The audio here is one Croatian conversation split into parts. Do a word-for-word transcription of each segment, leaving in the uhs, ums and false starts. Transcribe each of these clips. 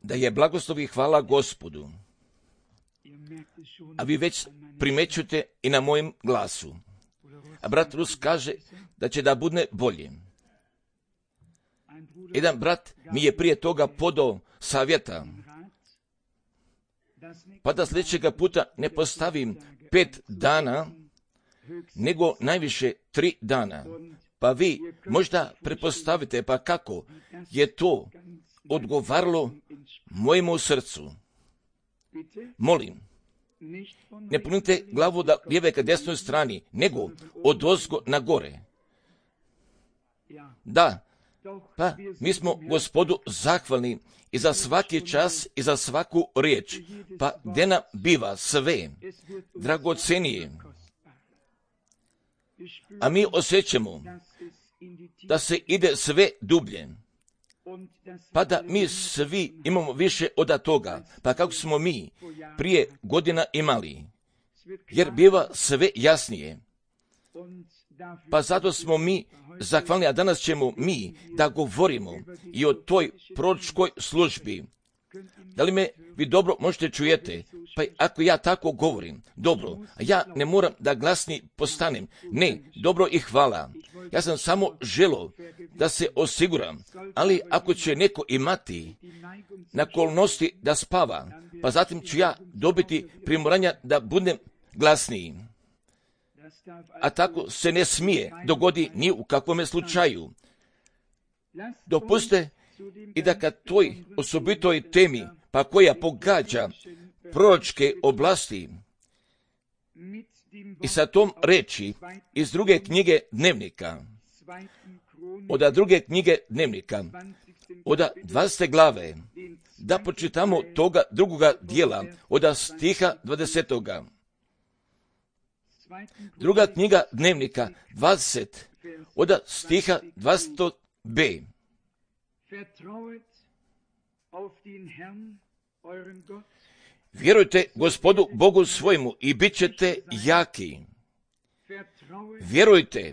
da je blagoslov i hvala Gospodu. A vi već primećujete i na mojem glasu. A brat Rus kaže da će da bude bolje. Jedan brat mi je prije toga podao savjeta, pa da sljedećega puta ne postavim pet dana, nego najviše tri dana. Pa vi možda pretpostavite, pa kako je to odgovaralo mojemu srcu. Molim, ne punite glavu da lijeve ka desnoj strani, nego od ozgo na gore. Da, pa mi smo Gospodu zahvalni i za svaki čas i za svaku riječ, pa gdje nam biva sve dragocenije. A mi osjećamo da se ide sve dublje, pa da mi svi imamo više od toga, pa kako smo mi prije godina imali, jer biva sve jasnije. Pa zato smo mi zahvalni, a danas ćemo mi da govorimo i o toj proročkoj službi. Da li me vi dobro možete čujete? Pa ako ja tako govorim, dobro, a ja ne moram da glasni postanem. Ne, dobro i hvala. Ja sam samo želo da se osiguram, ali ako će neko imati nakolnosti da spava, pa zatim ću ja dobiti primoranja da budem glasniji. A tako se ne smije dogodi ni u kakvome slučaju. Dopuste i da kad toj osobitoj temi, pa koja pogađa proročke oblasti, i sa tom reči iz druge knjige Dnevnika, od druge knjige Dnevnika, od dvadesete glave, da počitamo toga drugoga dijela, od stiha dvadesetoga. Druga knjiga Dnevnika, dvadeset, od stiha dvadeset b. Vjerujte Gospodu Bogu svojemu i bit ćete jaki. Vjerujte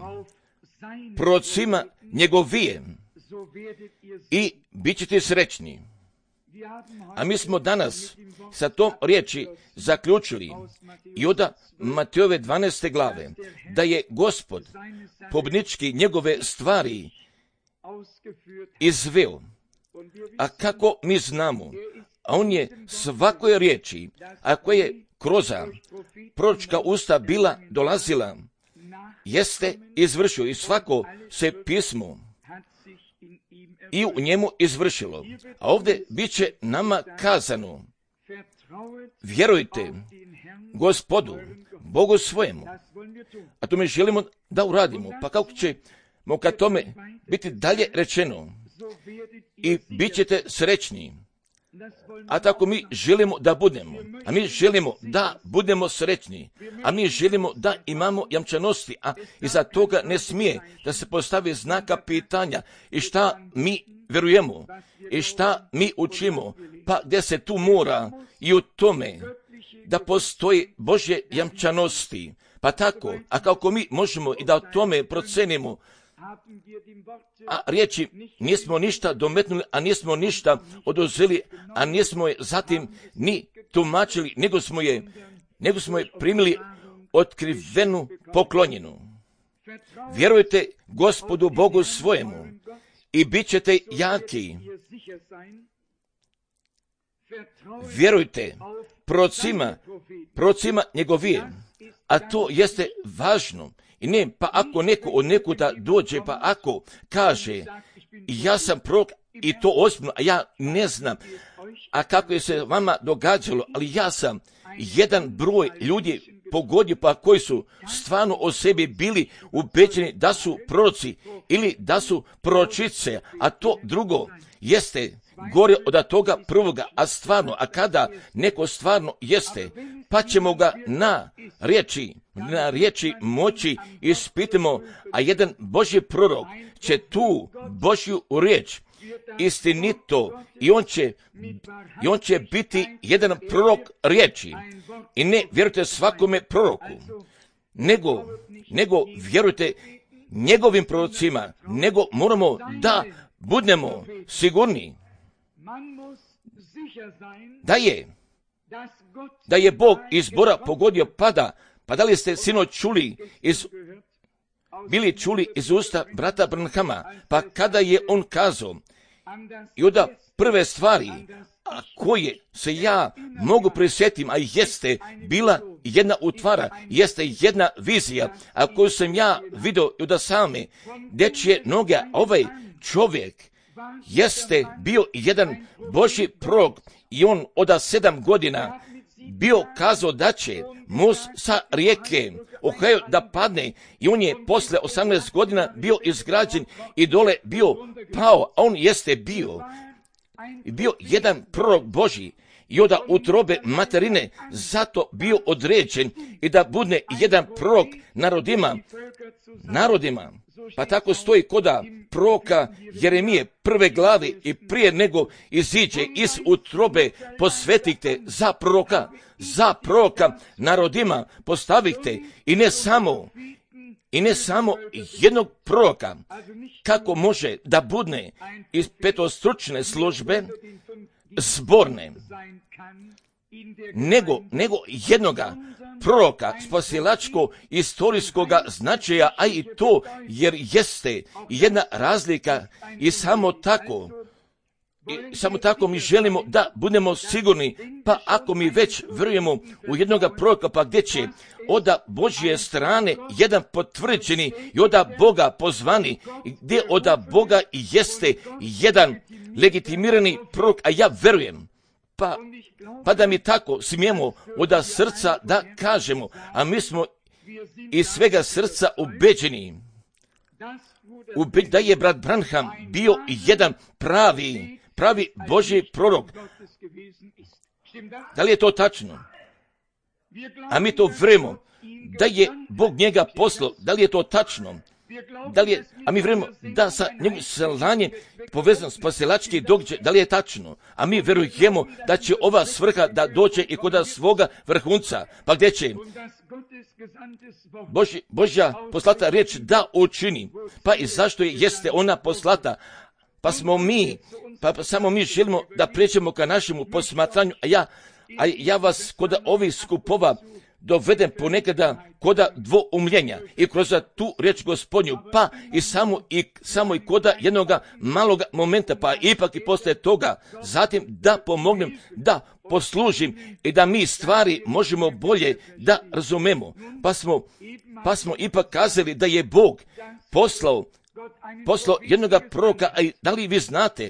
prorocima njegovijem i bit ćete srećni. A mi smo danas sa tom riječi zaključili i od Matejove dvanaeste glave, da je Gospod pobnički njegove stvari izveo. A kako mi znamo? A on je svakoj riječi, a koja je kroz proročka usta bila dolazila, jeste izvršio i svako se pismo i u njemu izvršilo. A ovdje bit će nama kazano, vjerujte Gospodu, Bogu svojemu. A to mi želimo da uradimo. Pa kako ćemo kad tome biti dalje rečeno? I bit ćete srećni. A tako mi želimo da budemo. A mi želimo da budemo srećni. A mi želimo da imamo jamčanosti. A iza toga ne smije da se postavi znaka pitanja. I šta mi vjerujemo? I šta mi učimo? Pa gdje se tu mora i u tome da postoji Božje jamčanosti. Pa tako, a kako mi možemo i da o tome procenimo, a riječi nismo ništa dometnuli, a nismo ništa oduzeli, a nismo je zatim ni tumačili, nego smo je, nego smo je primili otkrivenu poklonjenu. Vjerujte Gospodu Bogu svojemu i bit ćete jaki. Vjerujte prorocima, prorocima njegovije, a to jeste važno. I ne, pa ako neko od nekuda dođe, pa ako kaže, ja sam prorok i to ozbiljno, a ja ne znam, a kako je se vama događalo, ali ja sam jedan broj ljudi pogodio, pa koji su stvarno o sebi bili ubeđeni da su proroci ili da su proročice, a to drugo jeste gore od toga prvoga, a stvarno, a kada neko stvarno jeste, pa ćemo ga na riječi, na riječi moći ispitamo, a jedan Božji prorok će tu Božju riječ istinito i on će, i on će biti jedan prorok riječi. I ne vjerujte svakome proroku, nego, nego vjerujte njegovim prorocima, nego moramo da budemo sigurni da je, da je Bog izbora pogodio pada. Pa da li ste sinoć čuli iz, bili čuli iz usta brata Branhama, pa kada je on kazao, i onda prve stvari, a koje se ja mogu prisjetim, a jeste bila jedna utvara, jeste jedna vizija, a koju sam ja vidio i da same dečje noge, ovaj čovjek jeste bio jedan Božji prorok i on od sedam godina bio kazao da će most sa rijeke Ohio da padne i on je posle osamnaest godina bio izgrađen i dole bio pao, a on jeste bio bio jedan prorok Božji i od utrobe materine zato bio određen i da bude jedan prorok narodima, narodima. Pa tako stoji koda proroka Jeremije prve glave i prije nego iziđe iz utrobe posvetite za proroka, za proroka narodima postavite i ne samo i ne samo jednog proroka, kako može da budne iz petostručne službe zborne, nego, nego jednoga proroka spasilačko istorijskoga značaja, a i to jer jeste jedna razlika i samo tako, i samo tako mi želimo da budemo sigurni, pa ako mi već vjerujemo u jednoga proroka, pa gdje će oda Božje strane jedan potvrđeni i oda Boga pozvani, gdje oda Boga jeste jedan legitimirani prorok, a ja vjerujem, pa, pa da mi tako smijemo oda srca da kažemo, a mi smo iz svega srca ubeđeni, ube, da je brat Branham bio jedan pravi, pravi Božji prorok. Da li je to tačno? A mi to vjerujemo da je Bog njega poslao. Da li je to tačno? Da li je, a mi vjerujemo da sa njegovim slanjem povezan spasilački događaj, da li je tačno? A mi vjerujemo da će ova svrha da dođe i kod svoga vrhunca. Pa gdje će Božja, Božja poslata riječ da učini? Pa i zašto je, jeste ona poslata? Pa smo mi, pa, pa samo mi želimo da pređemo ka našemu posmatranju, a ja, a ja vas kod ovih skupova dovedem ponekada koda dvoumljenja i kroz tu riječ Gospodnju, pa i samo i, samo i koda jednoga maloga momenta, pa ipak i poslije toga, zatim da pomognem, da poslužim i da mi stvari možemo bolje da razumemo. Pa smo, pa smo ipak kazali da je Bog poslao, poslao jednoga proroka, a da li vi znate,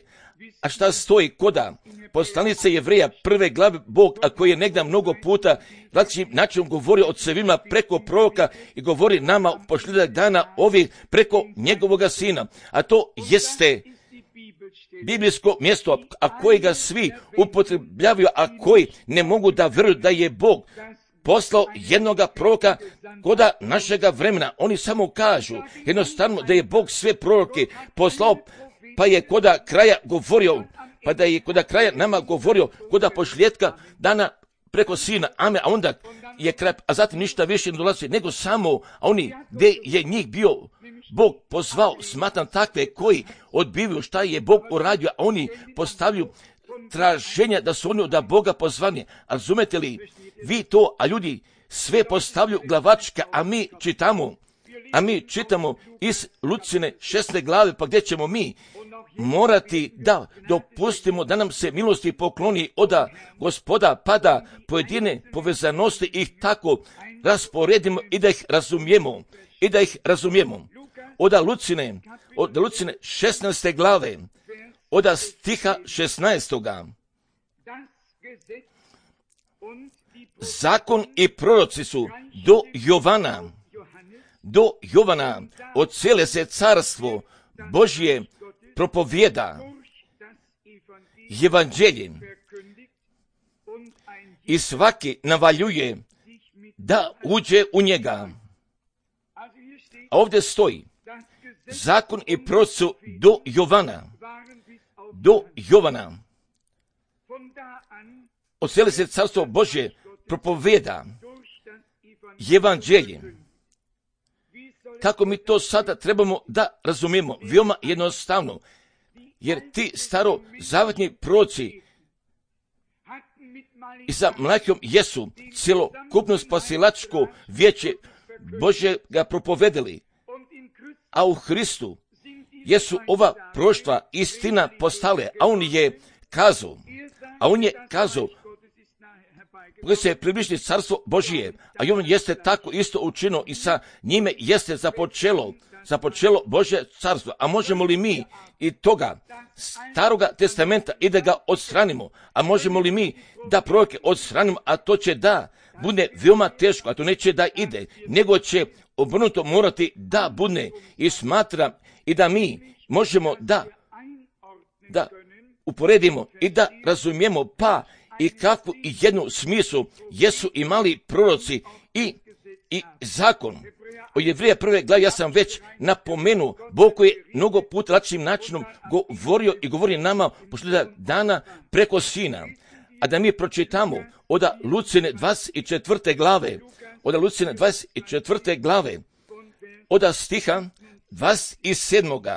a šta stoji koda poslanice Jevreja prve glave Bog, a koji je negdje mnogo puta znači način govorio od svima preko proroka i govori nama posljedak dana ovi preko njegovoga sina, a to jeste biblijsko mjesto, a koji ga svi upotrebljavaju, a koji ne mogu da vjeruju da je Bog poslao jednoga proroka koda našega vremena. Oni samo kažu jednostavno da je Bog sve proroke poslao, pa je koda kraja govorio, pa da je koda kraja nama govorio koda posljedka dana preko sina, amen, a onda je kraj, a zatim ništa više ne dolazi, nego samo oni gdje je njih bio Bog pozvao, smatram takve koji odbivaju šta je Bog uradio, a oni postavljaju traženja da su oni od Boga pozvani. A razumete li vi to, a ljudi sve postavljaju glavačka, a mi čitamo, a mi čitamo iz Lucine šesne glave, pa gdje ćemo mi morati da dopustimo da nam se milosti pokloni oda Gospoda, pa da pojedine povezanosti ih tako rasporedimo i da ih razumijemo, i da ih razumijemo. Oda Lucine, od Lucine šesnaeste glave, oda stiha šesnaestoga. Zakon i proroci su do Jovana, do Jovana, od cijele se carstvo Božje propovjeda evanđelje i svaki navaljuje da uđe u njega. A ovdje stoji, zakon i proroci su do Jovana, do Jovana, od cijele se carstvo Božje propovjeda evanđelje. Kako mi to sada trebamo da razumijemo? Veoma jednostavno. jer ti starozavetni proroci i sa Malahijom jesu cjelokupno spasilačko vijeće Božje ga propovedali, a u Hristu jesu ova proroštva istina postale, a on je kazao, a on je kazao, koji se približi carstvo Božije, a i on jeste tako isto učinio i sa njime jeste započelo, započelo Božje carstvo. A možemo li mi i toga staroga testamenta i da ga odstranimo, a možemo li mi da proroke odstranimo, a to će da bude veoma teško, a to neće da ide, nego će obrnuto morati da bude i smatra i da mi možemo da, da uporedimo i da razumijemo pa i kakvu i jednu smislu jesu imali proroci i, i zakon. O Jevrija prve glavi ja sam već napomenuo, Bog koji je mnogo puta lakšim načinom govorio i govori nama posljednjeg dana preko Sina. A da mi pročitamo od Lucine dvadeset četvrte glave, od Lucine dvadeset četvrte glave, od stiha dvadeset sedmog.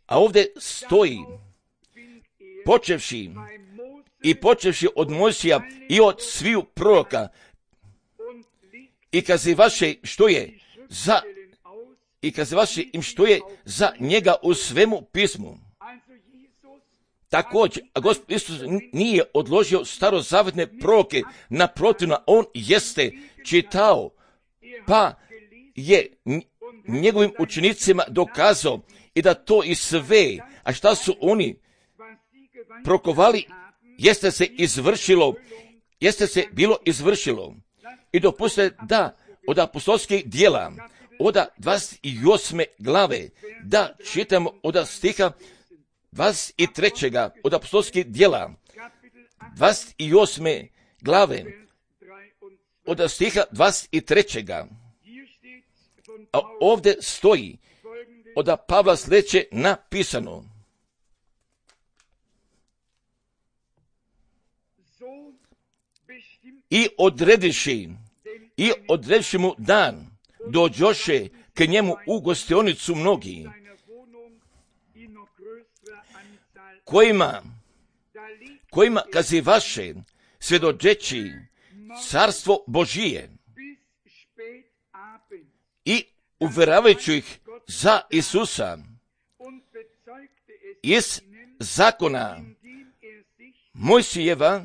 A ovdje stoji, počevši i počevši od Mojsija i od sviju proroka, i kazivaše što je za i kazivaše im što je za njega u svemu pismu. Također, a Gospod Isus nije odložio starozavetne proroke, naprotivno, on jeste čitao, pa je njegovim učenicima dokazao i da to i sve, a šta su oni prokovali, jeste se izvršilo, jeste se bilo izvršilo. I dopustite da od apostolskih djela, od dvadeset osme glave, da čitamo od stiha dvadeset trećeg od apostolskih djela, dvadeset osme glave, od stiha dvadeset trećeg. A ovdje stoji od Pavla sljedeće napisano. I odrediši, i odrediši mu dan, dođoše k njemu u gostionicu mnogi, kojima, kojima kazivaše svjedočeći carstvo Božije i uvjeravajući ih za Isusa iz zakona Mojsijeva,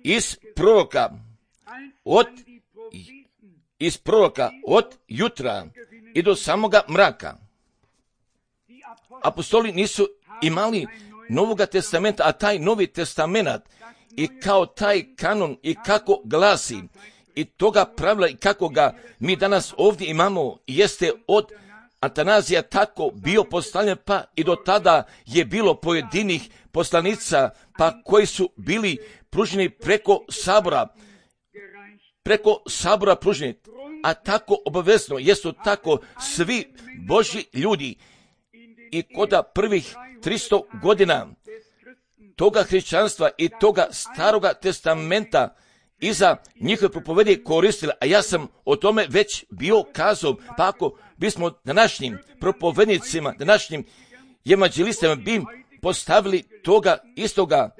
iz proroka od iz proroka od jutra i do samoga mraka. Apostoli nisu imali Novoga testamenta, a taj Novi testament i kao taj kanon i kako glasi i toga pravila i kako ga mi danas ovdje imamo jeste od Atanazija tako bio postavljen, pa i do tada je bilo pojedinih poslanica, pa koji su bili pruženi preko sabora, preko sabora pruženi, a tako obavezno jesu tako svi Božji ljudi i koda prvih tristo godina toga hrišćanstva i toga staroga testamenta iza njihove propovedi koristili, a ja sam o tome već bio kazao, pa ako bismo današnjim propovednicima, današnjim evanđelistima bi postavili toga istoga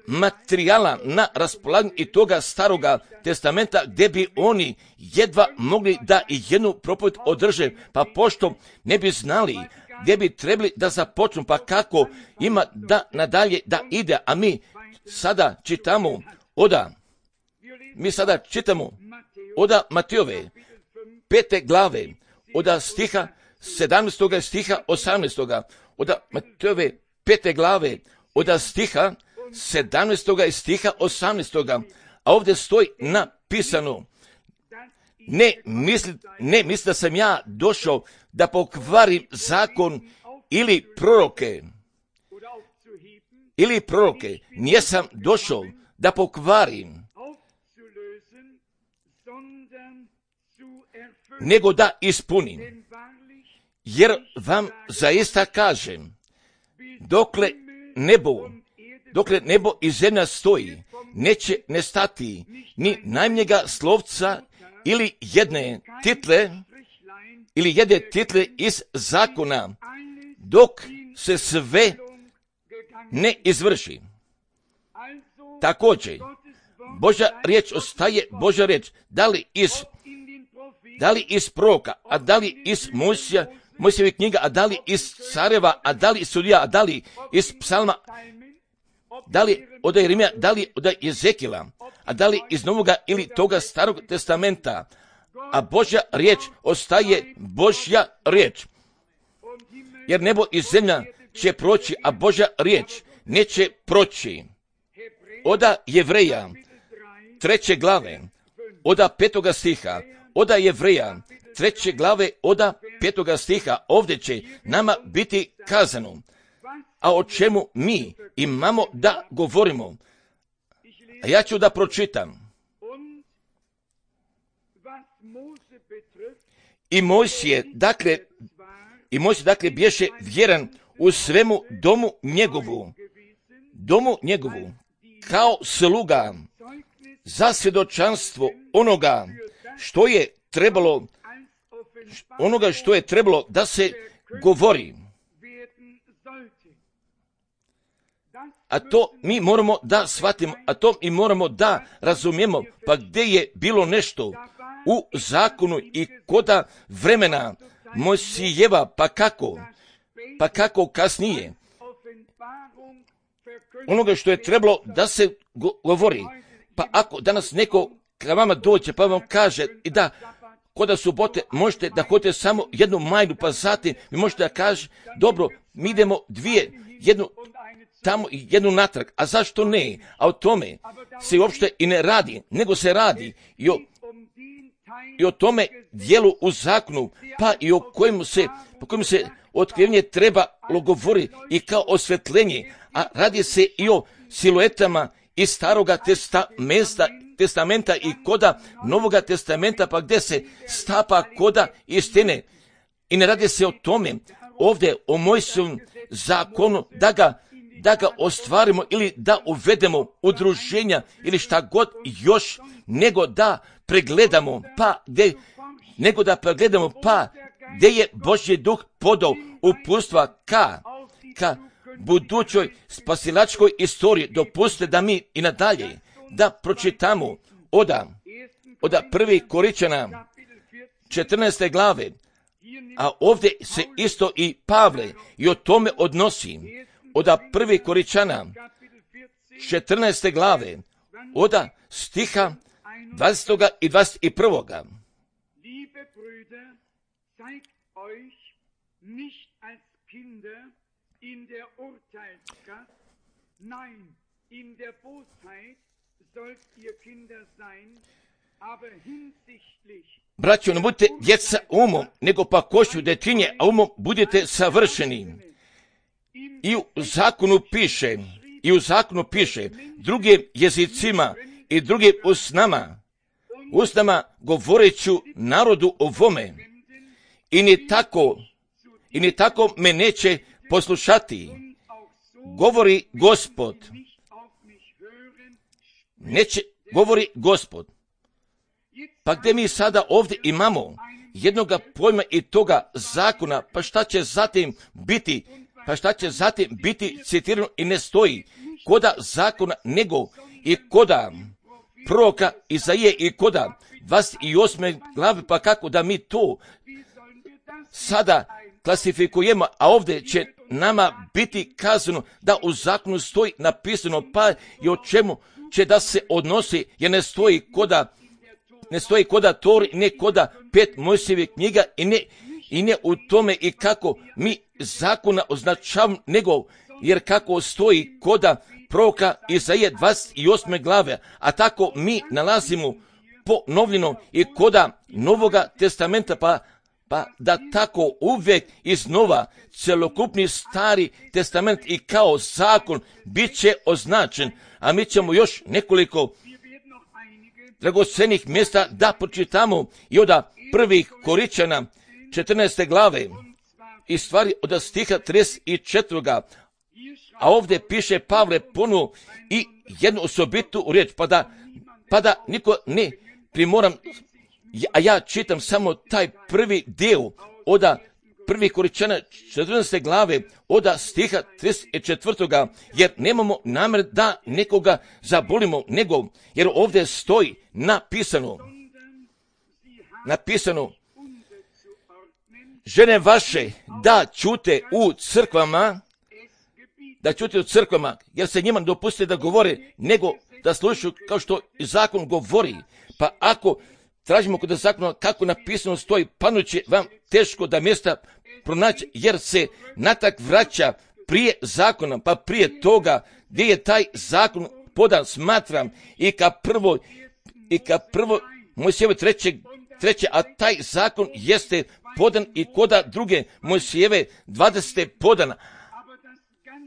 materijala na raspolaganju i toga staroga testamenta gdje bi oni jedva mogli da i jednu propoved održe, pa pošto ne bi znali gdje bi trebali da započnu, pa kako ima da nadalje da ide, a mi sada čitamo oda, mi sada čitamo oda Matejove pete glave, oda stiha sedamnaestog stiha osamnaestog, oda Matejove pete glave, oda stiha sedamnaestog stiha osamnaestog, a ovdje stoji napisano, ne misli, ne misli da sam ja došao da pokvarim zakon ili proroke, ili proroke, nisam došao da pokvarim, nego da ispunim. Jer vam zaista kažem, dokle nebo, dokle nebo i zemlja stoji, neće nestati ni najmnjega slovca ili jedne title ili jede title iz zakona, dok se sve ne izvrši. Također, Božja riječ ostaje Božja riječ, da li iz, da li iz proroka, a da li iz Mojsija, Mojsijeve knjiga, a da li iz careva, a da li iz sudija, a da li iz psalma, da li od Jeremija, da li od Jezekila, a da li iz Novoga ili toga Starog testamenta, a Božja riječ ostaje Božja riječ. Jer nebo i zemlja će proći, a Božja riječ neće proći. Oda Jevreja, treće glave, oda petoga stiha, oda Jevreja, treće glave, oda petoga stiha, ovdje će nama biti kazano, a o čemu mi imamo da govorimo. A ja ću da pročitam. I Mojsije, dakle, i Mojsije, dakle, bješe vjeran u svemu domu njegovu, domu njegovu, kao sluga za svjedočanstvo onoga što je trebalo, onoga što je trebalo da se govori. A to mi moramo da shvatimo, a to mi moramo da razumijemo, pa gdje je bilo nešto u zakonu i koda vremena Mojsijeva, pa kako, pa kako kasnije, onoga što je trebalo da se govori. Pa ako danas neko ka vama dođe pa vam kaže i da koda subote možete da hodite samo jednu majnu, pa zatim vi možete da kaže, dobro, mi idemo dvije, jednu tamo i jednu natrag, a zašto ne? A o tome se uopšte i ne radi, nego se radi i o, i o tome dijelu u zakonu, pa i o kojem se, po kojem se otkrivenje trebalo govori i kao osvetljenje, a radi se i o siluetama iz staroga testamenta, testamenta i koda novoga testamenta, pa gdje se stapa koda istine. I ne radi se o tome ovdje o Mojsijevom zakonu da ga, da ga ostvarimo ili da uvedemo udruženja ili šta god još, nego da pregledamo, pa gdje, nego da pregledamo pa gdje je Božji duh podao uputstva ka, ka budućoj spasilačkoj istoriji. Dopustite da mi i nadalje da pročitamo oda, oda prvi Koričana četrnaeste glave, a ovdje se isto i Pavle i o tome odnosi. Oda prvi Koričana četrnaeste glave, oda stiha dvadesetog i dvadeset prvog. Liebe Brüder, seid euch nicht als Kinder in der Urteilskraft, nein, in der Bosheit sollt ihr Kinder sein, aber hinsichtlich. Braćo, ne budite djeca umom, nego pa košću detinje, a umom budete savršeni. I u zakonu piše, i u zakonu piše, drugim jezicima i drugim usnama, usnama govoreću narodu ovome, i ni tako, i ni tako me neće poslušati, govori Gospod. Neće, govori Gospod. Pa gdje mi sada ovdje imamo jednoga pojma i toga zakona, pa šta će zatim biti, pa šta će zatim biti citirano i ne stoji koda zakona, nego i koda proroka Izaije i koda dvadeset osme glave, pa kako da mi to sada klasifikujemo, a ovdje će nama biti kazano da u zakonu stoji napisano, pa i o čemu će da se odnosi, jer ne stoji koda, ne stoji koda Tori, ne koda pet Mojsijevih knjiga i ne, i ne u tome i kako mi zakona označavamo, nego jer kako stoji koda proroka Izaije dvadeset osme glave, a tako mi nalazimo ponovljeno i koda Novoga testamenta, pa pa da tako uvijek iznova celokupni stari testament i kao zakon bit će označen, a mi ćemo još nekoliko dragocenih mjesta da pročitamo i od prvih Koričana četrnaeste glave i stvari od stiha trideset četvrtog. A ovdje piše Pavle ponovo i jednu osobitu riječ, pa da, pa da niko ne primoram a ja čitam samo taj prvi dio od prvih Korinčana četrnaeste glave od stiha trideset četvrtoga jer nemamo namjer da nekoga zabolimo, nego jer ovdje stoji napisano, napisano, žene vaše da čute u crkvama, da čute u crkvama, jer se njima dopuste da govore, nego da slušaju kao što zakon govori. Pa ako tražimo kod zakona kako napisano stoji, panuće vam teško da mjesta pronaći, jer se natak vraća prije zakona, pa prije toga gdje je taj zakon podan, smatram, i ka prvo, i ka prvo Mojsijeve treće, treće, a taj zakon jeste podan i koda druge Mojsijeve dvadesete podana,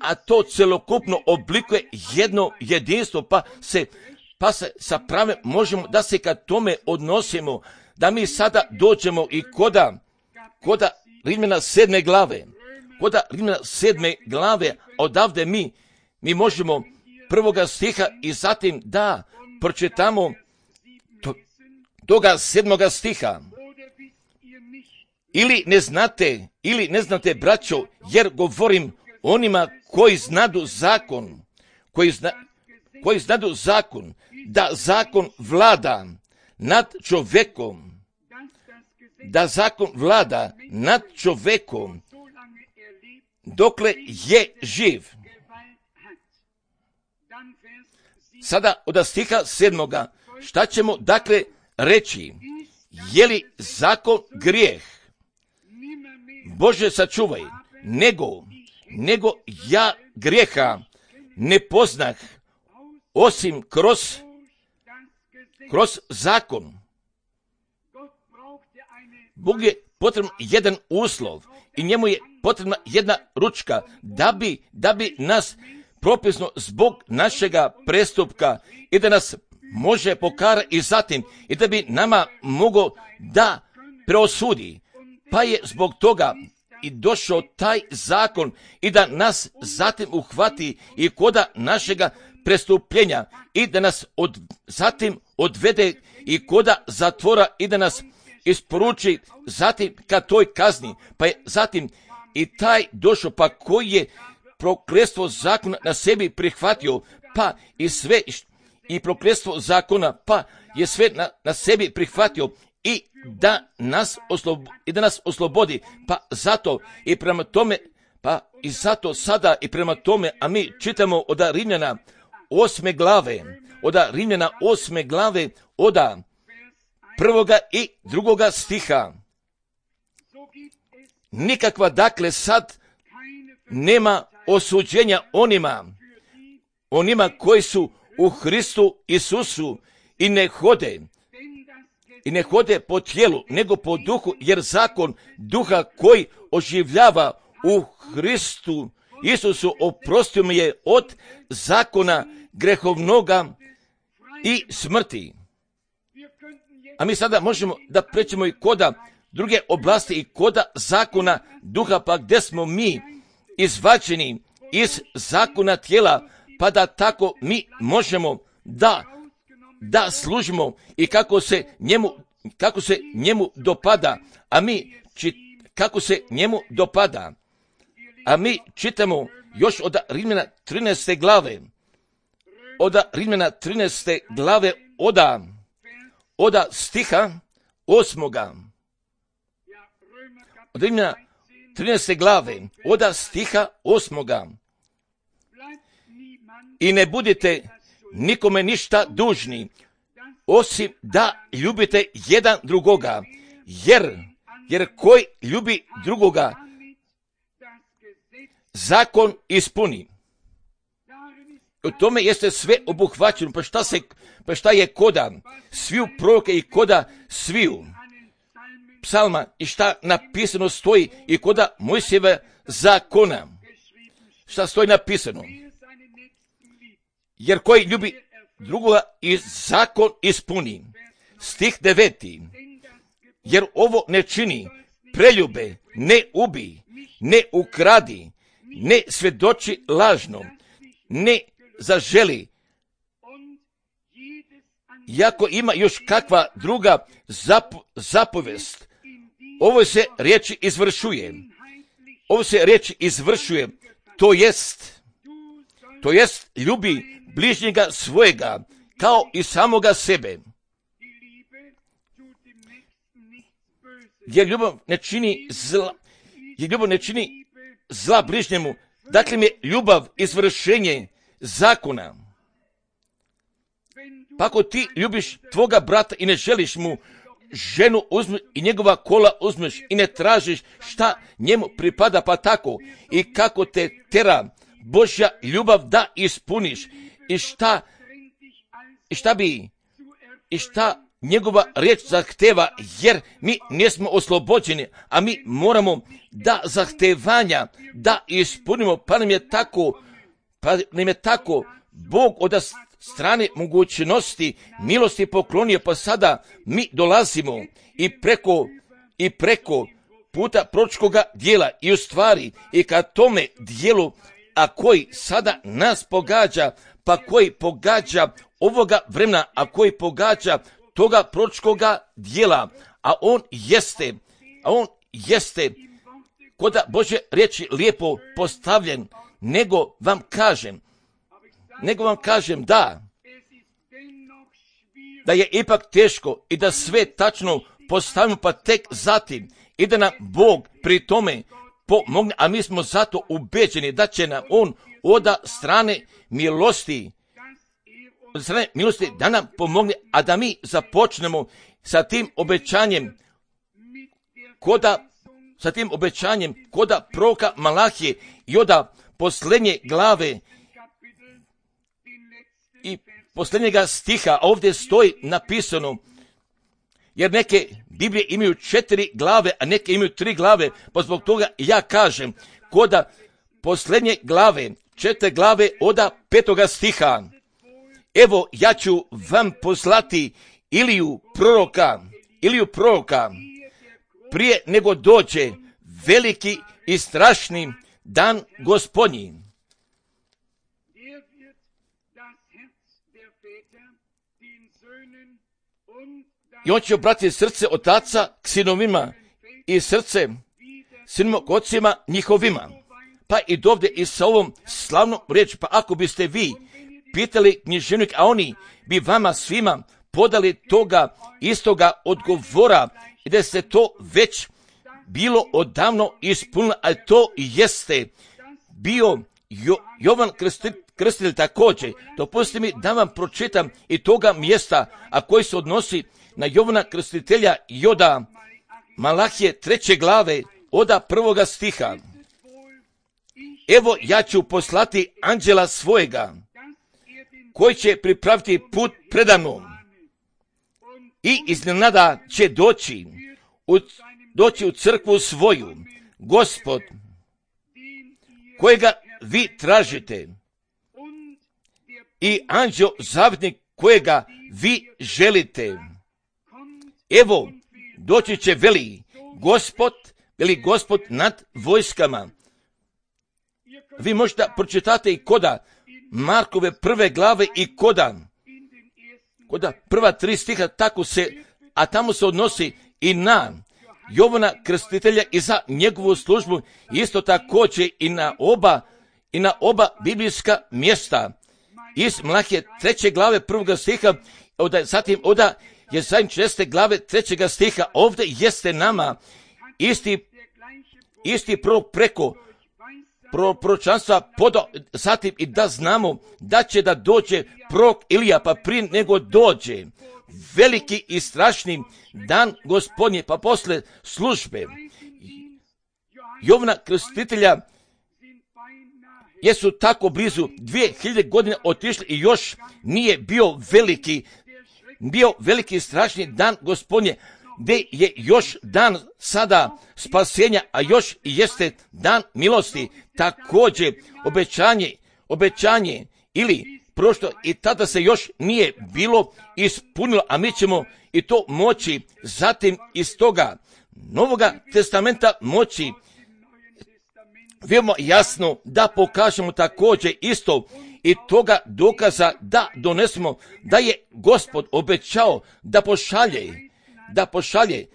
a to celokupno oblikuje jedno jedinstvo, pa se pa se sa prave možemo da se ka tome odnosimo, da mi sada dođemo i koda, koda Rimljana sedme glave, koda Rimljana sedme glave, odavde mi, mi možemo prvoga stiha i zatim da pročitamo to, toga sedmoga stiha. Ili ne znate, ili ne znate, braćo, jer govorim onima koji znadu zakon, koji, zna, koji znadu zakon, da zakon vlada nad čovjekom, da zakon vlada nad čovjekom dokle je živ. Sada od stiha sedmoga, šta ćemo dakle reći? Je li zakon grijeh? Bože sačuvaj, nego, nego ja grijeha ne poznah, osim kroz, kroz zakon. Bog je potreban jedan uslov i njemu je potrebna jedna ručka da bi, da bi nas propisno zbog našega prestupka i da nas može pokara i zatim i da bi nama mogao da preosudi. Pa je zbog toga i došao taj zakon i da nas zatim uhvati i koda našega prestupljenja i da nas od, zatim odvede i koda zatvora i da nas isporuči zatim ka toj kazni. Pa je zatim i taj došao, pa koji je prokletstvo zakona na sebi prihvatio, pa i sve i prokletstvo zakona, pa je sve na, na sebi prihvatio i da nas oslob, i da nas oslobodi. Pa zato i prema tome, pa i zato sada i prema tome, a mi čitamo od Rimljana osme glave, od Rimljana osme glave, od prvoga i drugoga stiha. Nikakva dakle sad nema osuđenja onima, onima koji su u Hristu Isusu i ne hode, i ne hode po tijelu, nego po duhu, jer zakon duha koji oživljava u Hristu Isusu oprostio mi je od zakona grehovnoga i smrti. A mi sada možemo da prećemo i koda druge oblasti i koda zakona duha, pa gdje smo mi izvađeni iz zakona tijela, pa da tako mi možemo da, da služimo i kako se njemu, kako se njemu dopada, a mi čit, kako se njemu dopada. A mi čitamo još od Rimljana trinaeste glave, od Rimljana trinaeste glave, od, od stiha osmoga. Od Rimljana trinaeste glave, od stiha osmoga. I ne budite nikome ništa dužni, osim da ljubite jedan drugoga, jer, jer koji ljubi drugoga, zakon ispuni. U tome jeste sve obuhvaćeno, pa šta, se, pa šta je koda sviju proroke i koda sviju psalma i šta napisano stoji i koda Mojsijeva zakona. Šta stoji napisano? Jer koji ljubi drugoga i zakon ispuni. Stih deveti. Jer ovo ne čini preljube, ne ubi, ne ukradi, ne svjedoči lažno, ne zaželi Iako ima još kakva druga zap- zapovest, ovo se riječi izvršuje. Ovo se riječi izvršuje, to jest, to jest ljubi bližnjega svojega, kao i samoga sebe. Jer ljubav ne čini zla, jer ljubav ne čini zla bližnjemu, dakle mi je ljubav izvršenje zakona. Pa ako ti ljubiš tvoga brata i ne želiš mu ženu uzmi i njegova kola uzmeš i ne tražiš šta njemu pripada, pa tako i kako te tera Božja ljubav da ispuniš i šta, i šta bi i šta njegova riječ zahteva, jer mi nismo oslobođeni, a mi moramo da zahtevanja da ispunimo, pa nam je tako, pa nam je tako Bog od strane mogućnosti milosti poklonio, pa sada mi dolazimo i preko i preko puta proročkoga dijela i u stvari i ka tome dijelu, a koji sada nas pogađa, pa koji pogađa ovoga vremena, a koji pogađa toga proročkoga dijela, a on jeste, a on jeste koda Božje riječi lijepo postavljen, nego vam kažem, nego vam kažem da, da je ipak teško i da sve tačno postavimo, pa tek zatim i da nam Bog pri tome pomogne, a mi smo zato ubeđeni da će nam on od strane milosti, od strane milosti da nam pomogne, a da mi započnemo sa tim obećanjem koda, sa tim obećanjem koda proroka Malahije i od posljednje glave i posljednjega stiha, a ovdje stoji napisano, jer neke Biblije imaju četiri glave, a neke imaju tri glave, pa zbog toga ja kažem, koda posljednje glave, četiri glave od petoga stiha, evo ja ću vam poslati Iliju proroka, Iliju proroka, prije nego dođe veliki i strašni dan Gospodnji. I on će obratiti srce otaca k sinovima i srce sinovima k ocima njihovima. Pa i dovde i sa ovom slavnom riječi, pa ako biste vi pitali književnik, a oni bi vama svima podali toga istoga odgovora i da se to već bilo odavno ispunilo, a to jeste bio jo, Jovan Krstitelj, krstitelj također. Dopustite mi da vam pročitam i toga mjesta, a koji se odnosi na Jovana Krstitelja i od Malahije treće glave od prvoga stiha. Evo ja ću poslati anđela svojega, koji će pripraviti put predamnom i iznenada će doći u, doći u crkvu svoju, Gospod, kojega vi tražite, i anđeo zavjetnik kojega vi želite. Evo, doći će veli Gospod, veli Gospod nad vojskama. Vi možete pročitati i koda Markove prve glave i koda, koda prva tri stiha, tako se, a tamo se odnosi i na Jovana Krstitelja i za njegovu službu, isto također i na oba, i na oba biblijska mjesta. Iz Malahije treće glave prvoga stiha, oda, zatim oda je šeste glave trećega stiha, ovdje jeste nama isti, isti prorok preko pro, proročanstva podao, zatim i da znamo da će da dođe prorok Ilija, pa prije nego dođe veliki i strašni dan Gospodnje, pa posle službe Jovana Krstitelja jesu tako blizu dvije hiljade godina otišli i još nije bio veliki, bio veliki strašni dan Gospodnje, gdje je još dan sada spasenja, a još i jeste dan milosti, također obećanje, obećanje ili prošto i tada se još nije bilo ispunilo, a mi ćemo i to moći zatim iz toga Novoga testamenta moći veoma jasno da pokažemo također isto i toga dokaza da donesemo da je Gospod obećao da pošalje, da pošalje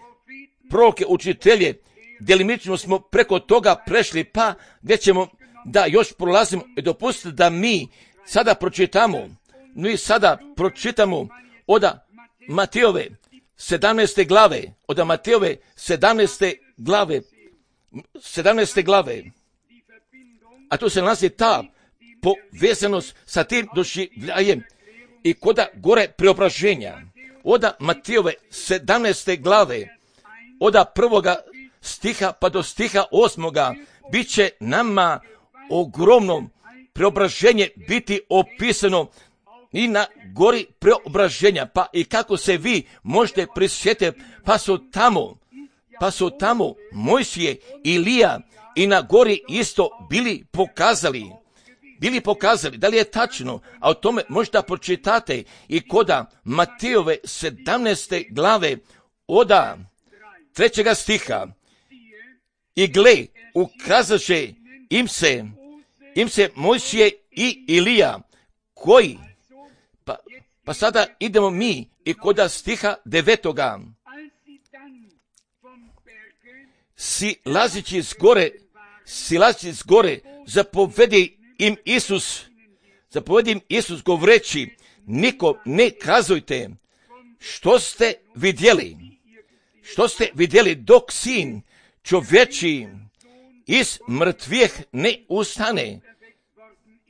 proroke, učitelje. Djelimično smo preko toga prešli, pa gdje ćemo da još prolazimo i dopustiti da mi sada pročitamo, mi sada pročitamo od Matejove sedamnaeste glave, od Matejove sedamnaeste glave, sedamnaeste glave, a tu se nalazi ta povezanost sa tim doživljajem i koda gore preobraženja. Od Matejove sedamnaeste glave, od prvoga stiha pa do stiha osmoga, bit će nama ogromno preobraženje biti opisano i na gori preobraženja, pa i kako se vi možete prisjetiti, pa su tamo, pa su tamo Mojsije, Ilija i na gori isto bili pokazali, bili pokazali, da li je tačno, a o tome možda pročitate i koda Matejove sedamnaeste glave oda trećega stiha. I gle, ukazaše im se, im se Mojsije i Ilija, koji, pa, pa sada idemo mi i koda stiha devetoga. Silazići s gore, silazići s gore, zapovedi im Isus, zapovedi im Isus govoreći, nikom ne kazujte što ste vidjeli, što ste vidjeli dok sin čovječiji iz mrtvih ne ustane,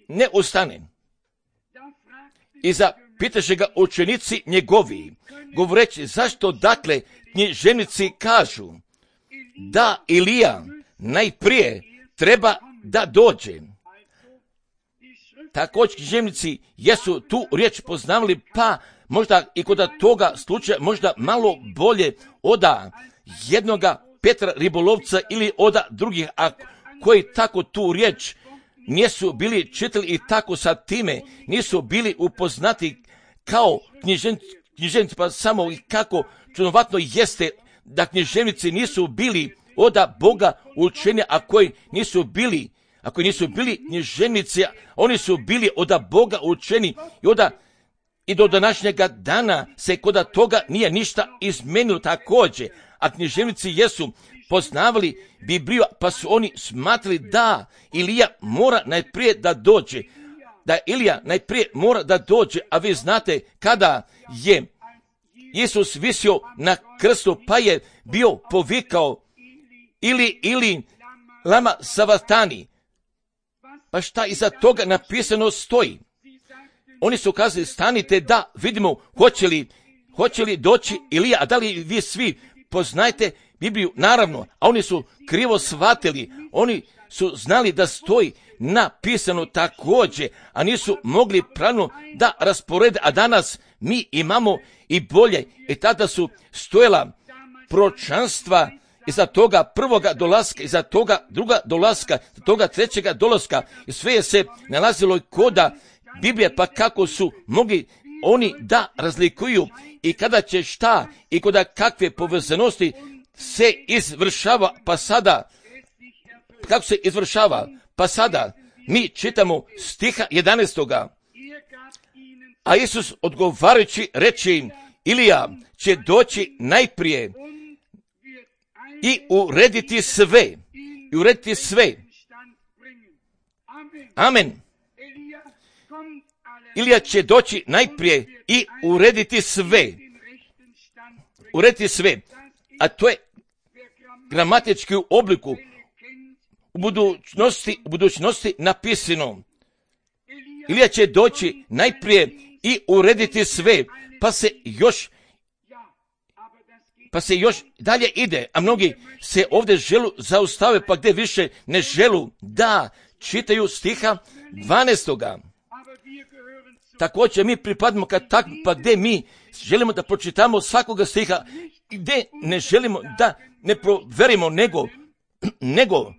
ne ustane. I zapitaše ga učenici njegovi, govoreći, zašto dakle književnici kažu da Ilija najprije treba da dođe. Također književnici jesu tu riječ poznavali, pa možda i kod toga slučaja možda malo bolje oda jednoga Petra ribolovca ili oda drugih, a koji tako tu riječ nisu bili čitali i tako sa time nisu bili upoznati kao književnici, pa samo i kako čudnovatno jeste da književnici nisu bili oda Boga učenja, a koji nisu bili, a koji nisu bili književnici, oni su bili oda Boga učeni i oda i do današnjega dana se koda toga nije ništa izmenilo također, a književnici jesu poznavali Bibliju, pa su oni smatrali da Ilija mora najprije da dođe, da Ilija najprije mora da dođe, a vi znate kada je Isus visio na krstu, pa je bio povikao ili, ili, lama savatani, pa šta iza toga napisano stoji? Oni su kazali, stanite da vidimo hoće li, hoće li doći Ilija, a da li vi svi poznajete Bibliju? Naravno, a oni su krivo shvatili, oni su znali da stoji napisano također, a nisu mogli pravilno da rasporede, a danas mi imamo i bolje, i tada su stojala proročanstva iza toga prvoga dolaska, iza toga druga dolaska, iza toga trećega dolaska, i sve je se nalazilo i koda Biblije, pa kako su mogli oni da razlikuju i kada će šta i koda kakve povezanosti se izvršava, pa sada, kako se izvršava, pa sada mi čitamo stiha jedanaestoga. A Isus odgovarajući reče im, Ilija će doći najprije i urediti sve, i urediti sve. Amen. Ilija će doći najprije i urediti sve. Urediti sve. A to je gramatički u obliku u budućnosti, u budućnosti napisano. Ilija će doći najprije i urediti sve, pa se još pa se još dalje ide, a mnogi se ovdje želu zaustave, pa gdje više ne želu da čitaju stiha dvanaestoga. Također mi pripadamo kad tak, pa gdje mi želimo da pročitamo svakoga stiha, gdje ne želimo da ne proverimo, nego, nego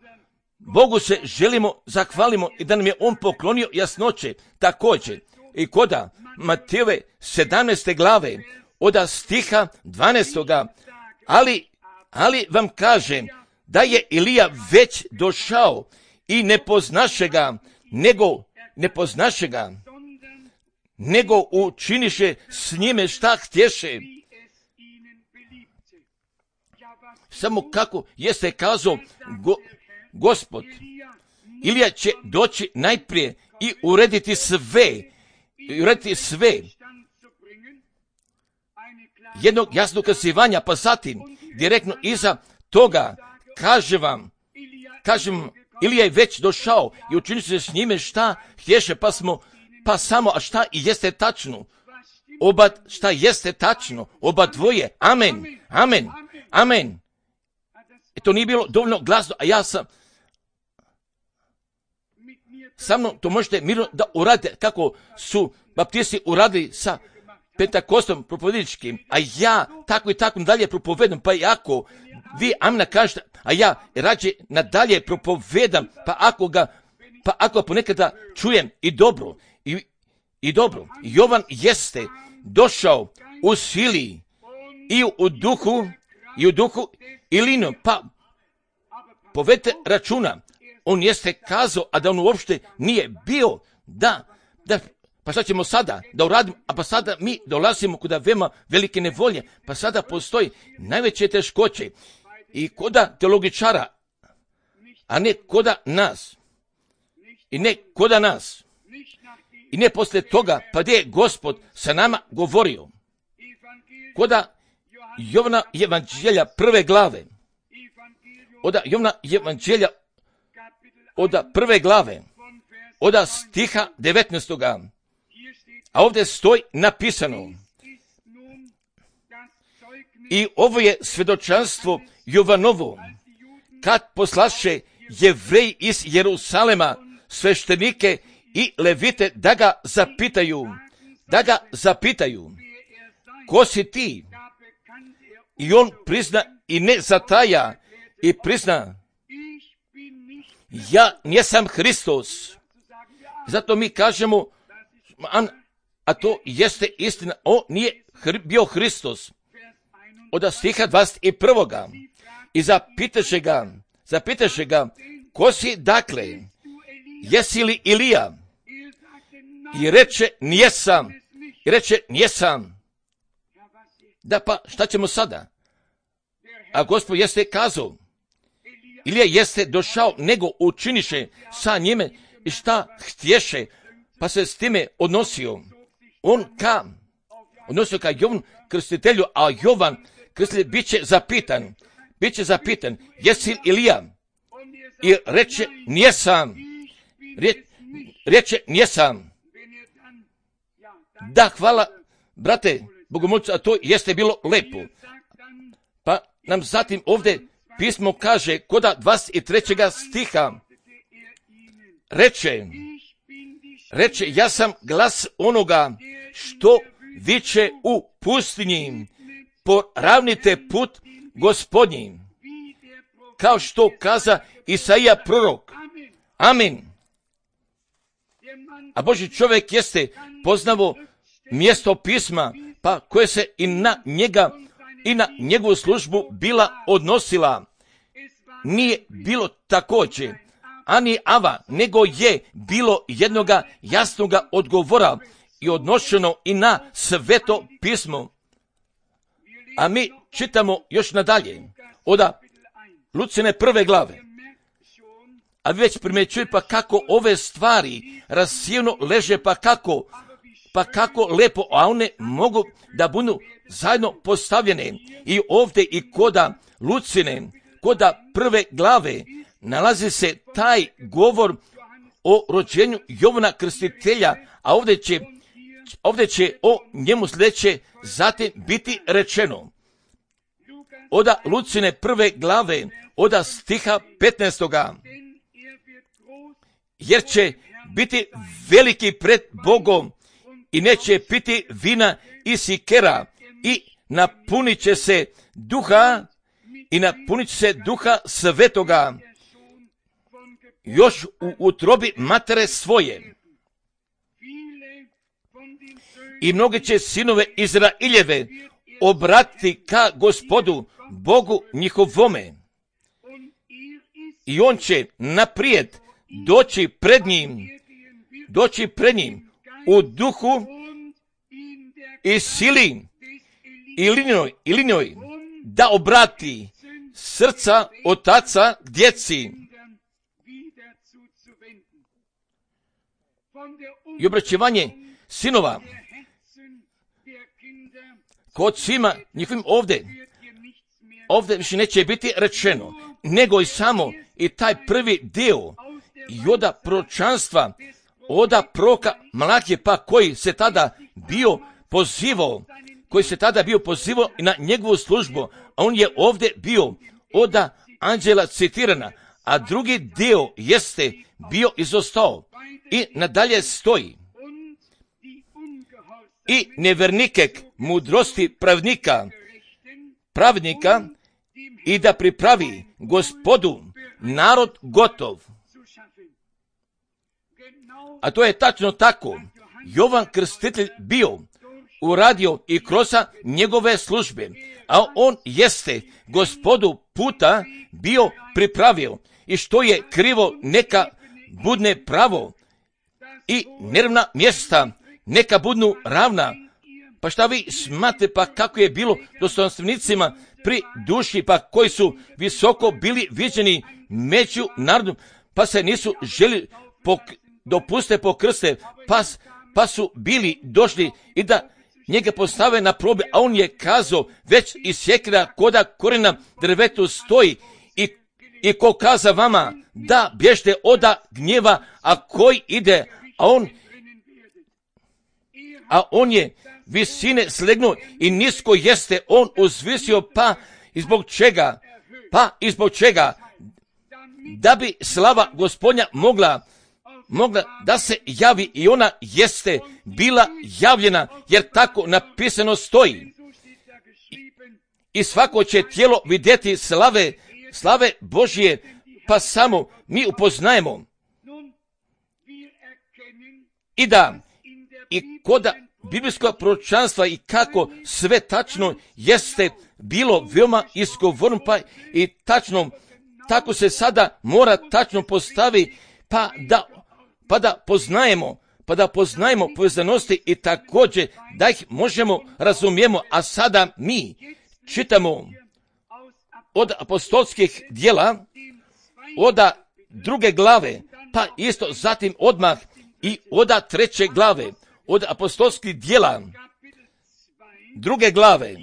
Bogu se želimo zahvalimo i da nam je On poklonio jasnoće. Također i koda Matejove sedamnaeste glave od stiha dvanaestoga, ali, ali vam kažem da je Ilija već došao i ne poznaše ga, nego ne poznaše ga, nego učiniše s njime šta htješe. Samo kako jeste kazao go, Gospod, Ilija će doći najprije i urediti sve, i urediti sve. Jednog jasnog ukazivanja, pa zatim direktno iza toga kaže vam, kažem, Ilija je već došao i učinio se s njime šta htješe, pa smo, pa samo, a šta i jeste tačno, oba, šta jeste tačno, oba dvoje, amen, amen, amen. I to nije bilo dovoljno glasno, a ja sam, sa mnom to možete mirno da uradite, kako su baptisti uradili sa Pentakostom propovjedničkim, a ja tako i tako dalje propovedam, pa i ako vi amina kažete, a ja rađe nadalje propovedam, pa ako ga, pa ako ga ponekada čujem i dobro, i, i dobro, Jovan jeste došao u sili i u duhu, i u duhu i linom, pa povedite računa, on jeste kazao, a da on uopšte nije bio, da, da, pa šta ćemo sada da uradimo, a pa sada mi dolazimo kuda veoma velike nevolje, pa sada postoji najveće teškoće i koda teologičara, a ne koda nas, i ne koda nas, i ne posle toga, pa gdje je Gospod sa nama govorio, koda Jovana evanđelja prve glave, oda Jovana evanđelja oda prve glave, oda stiha devetnaestoga, a ovdje stoji napisano, i ovo je svjedočanstvo Jovanovo, kad poslaše Jevreji iz Jerusalema sveštenike i levite da ga zapitaju, da ga zapitaju, ko si ti? I on prizna i ne zataja i prizna, ja nisam Hristos. Zato mi kažemo, a to jeste istina, on nije bio Hristos. Od stiha dvadeset prvoga I zapitaše ga, zapitaše ga, ko si dakle, jesi li Ilija? I reče, nijesam. I reče, nijesam. Da pa, šta ćemo sada? A Gospod jeste kazao, Ilija jeste došao, nego učiniše sa njime i šta htješe, pa se s time odnosio. On ka, odnosio ka Jovan krstitelju, a Jovan krstitelj bit će zapitan, bit će zapitan, jesi li Ilija? I reče, nijesam. Re, reče, nijesam. Da, hvala, brate, bogomolcu, a to jeste bilo lepo. Pa nam zatim ovdje pismo kaže, koda dvadeset trećeg stiha, reče, reče, ja sam glas onoga što viče u pustinji, poravnite put Gospodnji, kao što kaza Isaija prorok. Amin. A Božji čovjek jeste poznavo mjesto pisma, pa koje se i na njega i na njegovu službu bila odnosila. Nije bilo također ani ava, nego je bilo jednoga jasnoga odgovora i odnošeno i na sveto pismo. A mi čitamo još nadalje, oda Lucine prve glave. A vi već primjećujete pa kako ove stvari rasijeno leže, pa kako, pa kako lepo, a one mogu da budu zajedno postavljene. I ovdje i koda Lucine, koda prve glave, nalazi se taj govor o rođenju Jovana krstitelja, a ovdje će, ovdje će o njemu sljedeće zatim biti rečeno. Oda Lucine prve glave, oda stiha petnaestoga. Jer će biti veliki pred Bogom i neće piti vina i sikera i napunit će se duha i napunit će se duha svetoga još u utrobi matere svoje. I mnogi će sinove Izraeljeve obratiti ka Gospodu, Bogu njihovome. I on će naprijed doći pred njim doći pred njim u duhu i sili i linijoj, i linijoj da obrati srca otaca k djeci i obraćivanje sinova kod svima njihovim ovdje. Ovdje više neće biti rečeno, nego i samo i taj prvi dio i oda proročanstva, oda proka Malahije pa koji se tada bio pozivao, koji se tada bio pozivao na njegovu službu, a on je ovdje bio oda anđela citirana, a drugi dio jeste bio izostao i nadalje stoji. I nevjernikek mudrosti pravnika, pravnika i da pripravi Gospodu narod gotov. A to je tačno tako. Jovan Krstitelj bio uradio i kroz njegove službe, a on jeste Gospodu puta bio pripravio i što je krivo neka budne pravo i neravna mjesta neka budnu ravna. Pa šta vi smatrate pa kako je bilo dostojanstvenicima pri duši pa koji su visoko bili viđeni među narodom pa se nisu želi pok, dopuste pokrste pa, pa su bili došli i da njega postave na probe, a on je kazao već i sjekira koda korena drvetu stoji i, i ko kaza vama da bježte oda gnjeva, a koji ide, a on a on je visine slegnuo i nisko jeste on uzvisio, pa izbog čega, pa izbog čega, da bi slava Gospodnja mogla, mogla da se javi i ona jeste bila javljena, jer tako napisano stoji. I, i svako će tijelo vidjeti slave, slave Božje, pa samo mi upoznajemo. I da, i koda biblijskog proročanstva i kako sve tačno jeste bilo veoma izgovorno, pa i tačno, tako se sada mora tačno postavi, pa da, pa da poznajemo, pa da poznajemo povezanosti i također da ih možemo razumijemo, a sada mi čitamo od apostolskih djela, od druge glave, pa isto zatim odmah i od treće glave, od apostolskih djela, druge glave,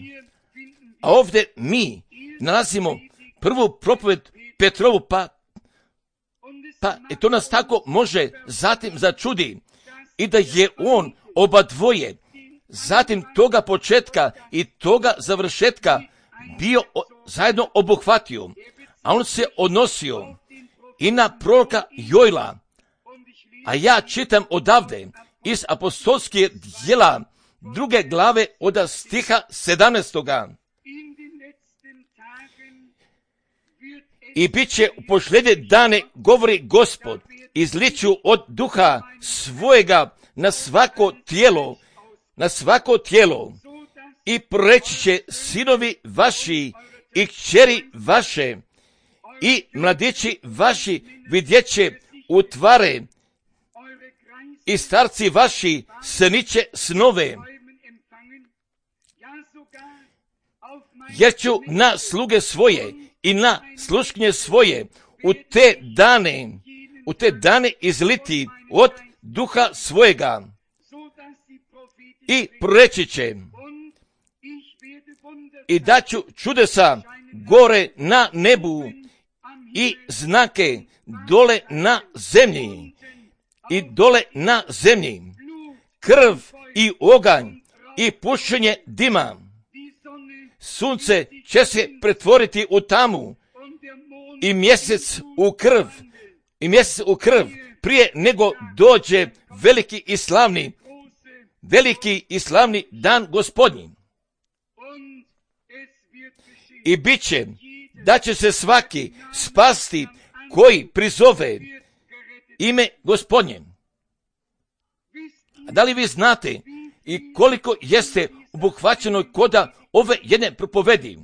a ovdje mi nalazimo prvu propoved Petrovu, pa, pa i to nas tako može zatim začudi i da je on oba dvoje, zatim toga početka i toga završetka bio zajedno obuhvatio, a on se odnosio i na proroka Jojla, a ja čitam odavde iz apostolskih djela druge glave od stiha sedamnaestoga. I bit će u posljednje dane, govori Gospod, izliću od duha svojega na svako tijelo, na svako tijelo i preći će sinovi vaši i kćeri vaše i mladići vaši vidjet će utvare i starci vaši sniće snove. Jer ću na sluge svoje i na sluškinje svoje u te dane, u te dane izliti od duha svojega i proreći će i daću čudesa gore na nebu i znake dole na zemlji i dole na zemlji, krv i oganj i pušenje dima. Sunce će se pretvoriti u tamu i mjesec u krv, i mjesec u krv prije nego dođe veliki i slavni, veliki i slavni dan Gospodnji. I bit će da će se svaki spasti koji prizove ime Gospodnje. A da li vi znate i koliko jeste obuhvaćeno koda ove jedne propovedi?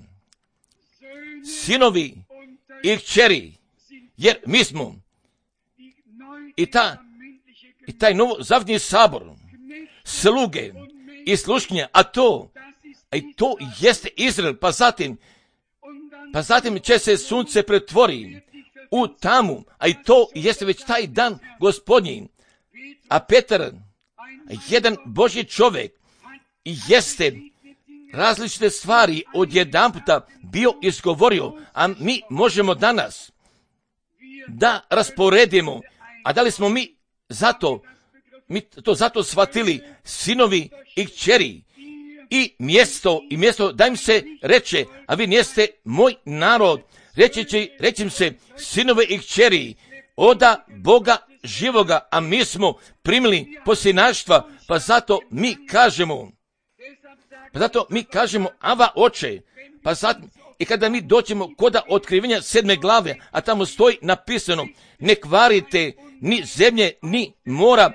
Sinovi i kćeri, jer mi smo i ta i taj novo zavdni sabor, sluge i slušnje, a to, a i to jeste Izrael, pa zatim, pa zatim će se sunce pretvori u tamu, a i to jeste već taj dan Gospodnji. A Petar, jedan Božji čovjek, jeste različite stvari odjedanputa bio izgovorio, a mi možemo danas da rasporedimo. A da li smo mi zato, mi to zato shvatili, sinovi i kćeri, i mjesto, i mjesto da im se reče, a vi niste moj narod, reći će, reći im se, sinove i kćeri, oda Boga živoga, a mi smo primili posinaštva, pa zato mi kažemo, pa zato mi kažemo, Ava oče, pa zato, i kada mi dođemo koda otkrivenja sedme glave, a tamo stoji napisano, ne kvarite ni zemlje, ni mora,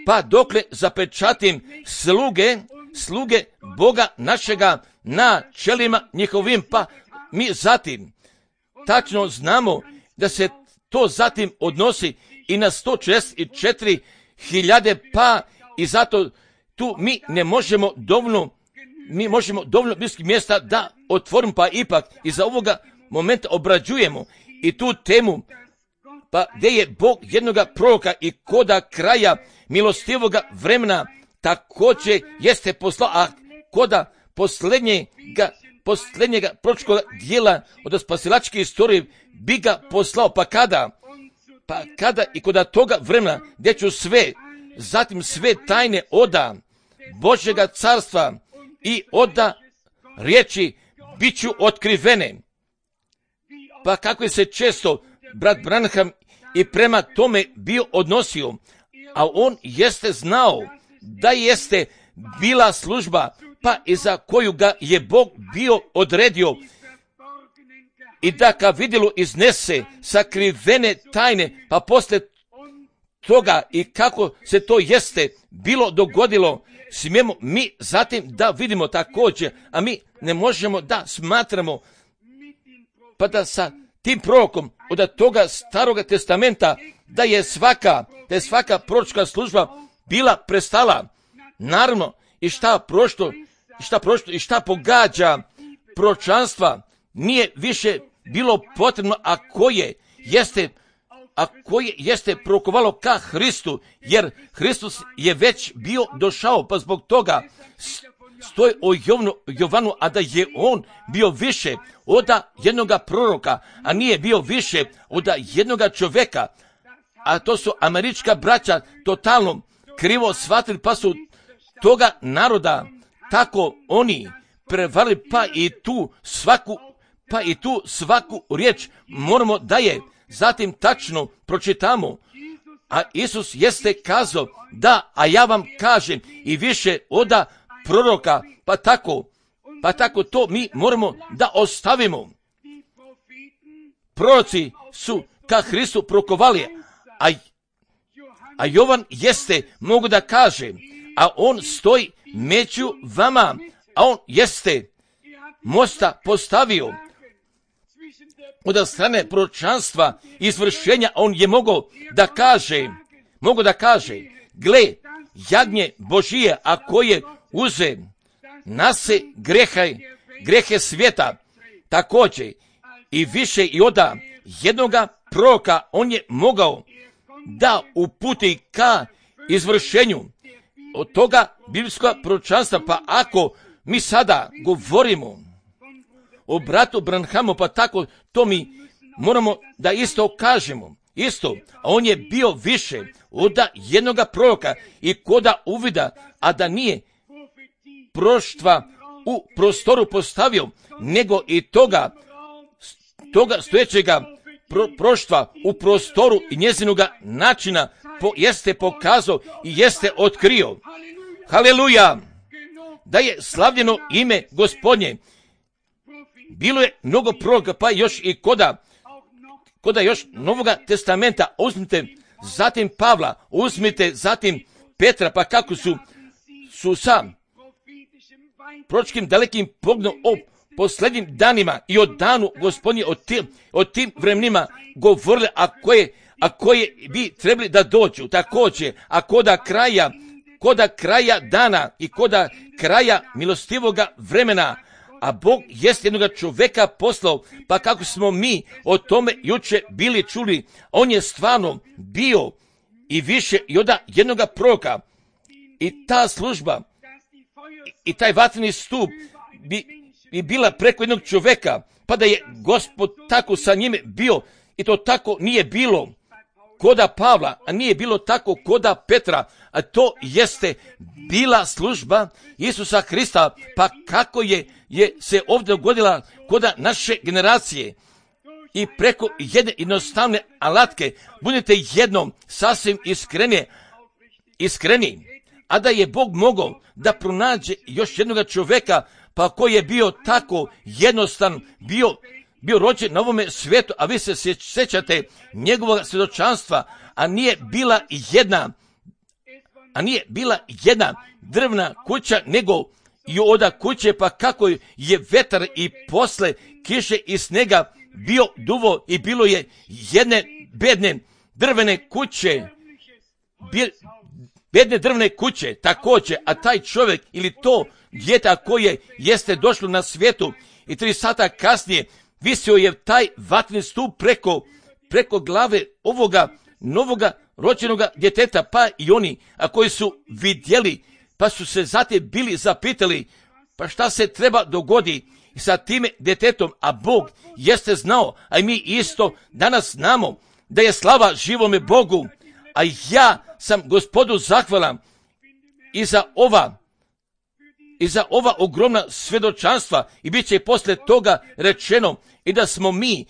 pa dokle zapečatim sluge, sluge Boga našega na čelima njihovim, pa mi zatim tačno znamo da se to zatim odnosi i na sto četrdeset četiri hiljade, pa i zato tu mi ne možemo dovoljno, mi možemo dovoljno bliskih mjesta da otvorimo, pa ipak i za ovoga momenta obrađujemo i tu temu, pa gdje je Bog jednoga proroka i koda kraja milostivoga vremena također jeste poslao, a koda posljednjega, posljednjega proročkoga dijela od spasilačke istorije bi ga poslao, pa kada, pa kada i koda toga vremena gdje ću sve, zatim sve tajne oda Božjega carstva i oda riječi bit ću otkrivene. Pa kako je se često brat Branham i prema tome bio odnosio, a on jeste znao da jeste bila služba, pa i za koju ga je Bog bio odredio, i da ga vidjelo iznese sakrivene tajne, pa poslije toga i kako se to jeste bilo dogodilo, smijemo mi zatim da vidimo također, a mi ne možemo da smatramo, pa da sa tim prorokom od toga staroga testamenta, da je svaka, da je svaka proročka služba bila prestala. Naravno, i šta prošlo, i šta prošlo, i šta pogađa proročanstva, nije više bilo potrebno, a koje jeste, a koje jeste prorokovalo ka Hristu, jer Hristus je već bio došao, pa zbog toga stoji o Jovanu, Jovanu, a da je on bio više od jednoga proroka, a nije bio više od jednoga čovjeka, a to su američka braća totalno krivo shvatili, pa su toga naroda tako oni prevarili, pa i tu svaku, pa i tu svaku riječ moramo da je zatim tačno pročitamo. A Isus jeste kazao da, a ja vam kažem i više oda proroka, pa tako, pa tako to mi moramo da ostavimo. Proroci su ka Hristu prorokovali, a, a Jovan jeste, mogu da kaže, a on stoji među vama, a on jeste mosta postavio od strane proročanstva i izvršenja, on je mogao da kaže, mogu da kaže, gle, jagnje Božije, a koje uze nase grehe, grehe svijeta, također i više i oda jednoga proroka, on je mogao da uputi ka izvršenju od toga biblijskog proročanstva. Pa ako mi sada govorimo o bratu Branhamu, pa tako to mi moramo da isto kažemo. Isto, a on je bio više od jednoga proroka i koda uvida, a da nije proštva u prostoru postavio, nego i toga, toga stojećega pro, proštva u prostoru i njezinoga načina po, jeste pokazao i jeste otkrio. Haleluja! Da je slavljeno ime Gospodnje. Bilo je mnogo proroka, pa još i koda, koda još Novoga testamenta. Uzmite zatim Pavla, uzmite zatim Petra, pa kako su, su sa proročkim dalekim pogledom o posljednjim danima i o danu Gospodnje, o tim, o tim vremenima govorili, a koje, a koje bi trebali da dođu. Također, a koda kraja, koda kraja dana i koda kraja milostivoga vremena, a Bog jest jednoga čoveka poslao, pa kako smo mi o tome juče bili čuli, on je stvarno bio i više i od jednoga proroka. I ta služba i taj vatreni stup bi, bi bila preko jednog čoveka, pa da je Gospod tako sa njime bio, i to tako nije bilo koda Pavla, a nije bilo tako koda Petra, a to jeste bila služba Isusa Hrista, pa kako je, je se ovdje dogodila koda naše generacije. I preko jedne jednostavne alatke budete jednom sasvim iskreni, iskreni, a da je Bog mogao da pronađe još jednog čovjeka, pa koji je bio tako jednostavan, bio, bio rođen na ovome svijetu, a vi se sjećate njegovog svjedočanstva, a nije bila jedna, a nije bila jedna drvna kuća, nego i oda kuće, pa kako je vetar i posle kiše i snega bio duvo i bilo je jedne bedne drvene kuće, bedne drvne kuće također, a taj čovjek ili to djeta koje jeste došlo na svijetu i tri sata kasnije visio je taj vatreni stup preko, preko glave ovoga novoga rođenoga djeteta, pa i oni, a koji su vidjeli, pa su se zatim bili zapitali, pa šta se treba dogodi sa time djetetom, a Bog jeste znao, a i mi isto danas znamo da je slava živome Bogu, a ja sam Gospodu zahvalan i za ova i za ova ogromna svjedočanstva, i bit će poslije toga rečeno i da smo mi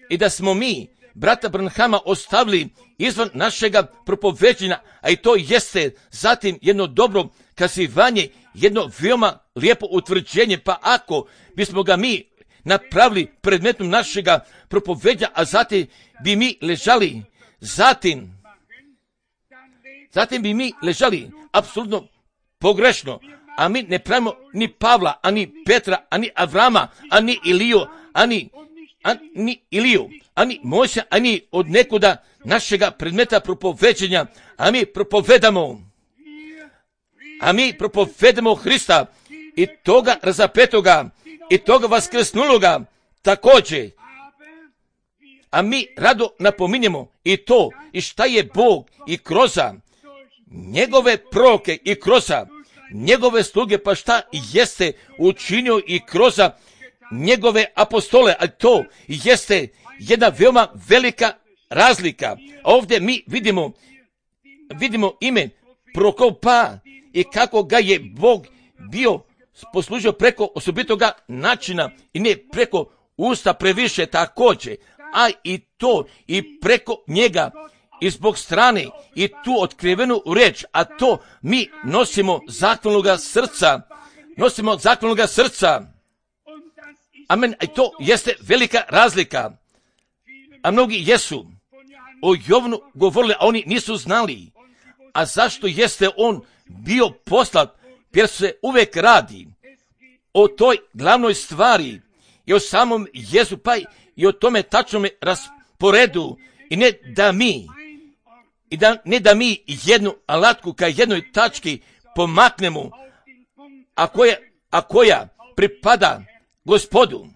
i da smo mi brata Branhama ostavili izvan našega propoveđenja, a i to jeste zatim jedno dobro kazivanje, jedno veoma lijepo utvrđenje, pa ako bismo ga mi napravili predmetom našega propoveđa, a zatim bi mi ležali, zatim, zatim bi mi ležali apsolutno pogrešno, a mi ne pravimo ni Pavla, ani Petra, ani Avrama, ani Iliju, ani, ani Iliju, ani Mojsija, ani od nekuda našega predmeta propoveđenja, a mi propovedamo, a mi propovedamo Hrista i toga razapetoga i toga vaskrsnuloga također. A mi rado napominjemo i to, i šta je Bog i kroza njegove proroke i kroza njegove sluge, pa šta jeste učinio i kroza njegove apostole, a to jeste jedna veoma velika razlika. Ovdje mi vidimo, vidimo ime prorokov, pa i kako ga je Bog bio poslužio preko osobitoga načina i ne preko usta previše također, a i to i preko njega i zbog strane i tu otkrivenu riječ, a to mi nosimo zahvalnoga srca, nosimo zahvalnoga srca. Amen, i to jeste velika razlika. A mnogi jesu o Jovanu govorili, a oni nisu znali. A zašto jeste on bio poslat? Jer se uvijek radi o toj glavnoj stvari i o samom Jezu, pa i o tome tačnome rasporedu, i ne da mi i da, ne da mi jednu alatku ka jednoj tački pomaknemo, a koja, a koja pripada Gospodu.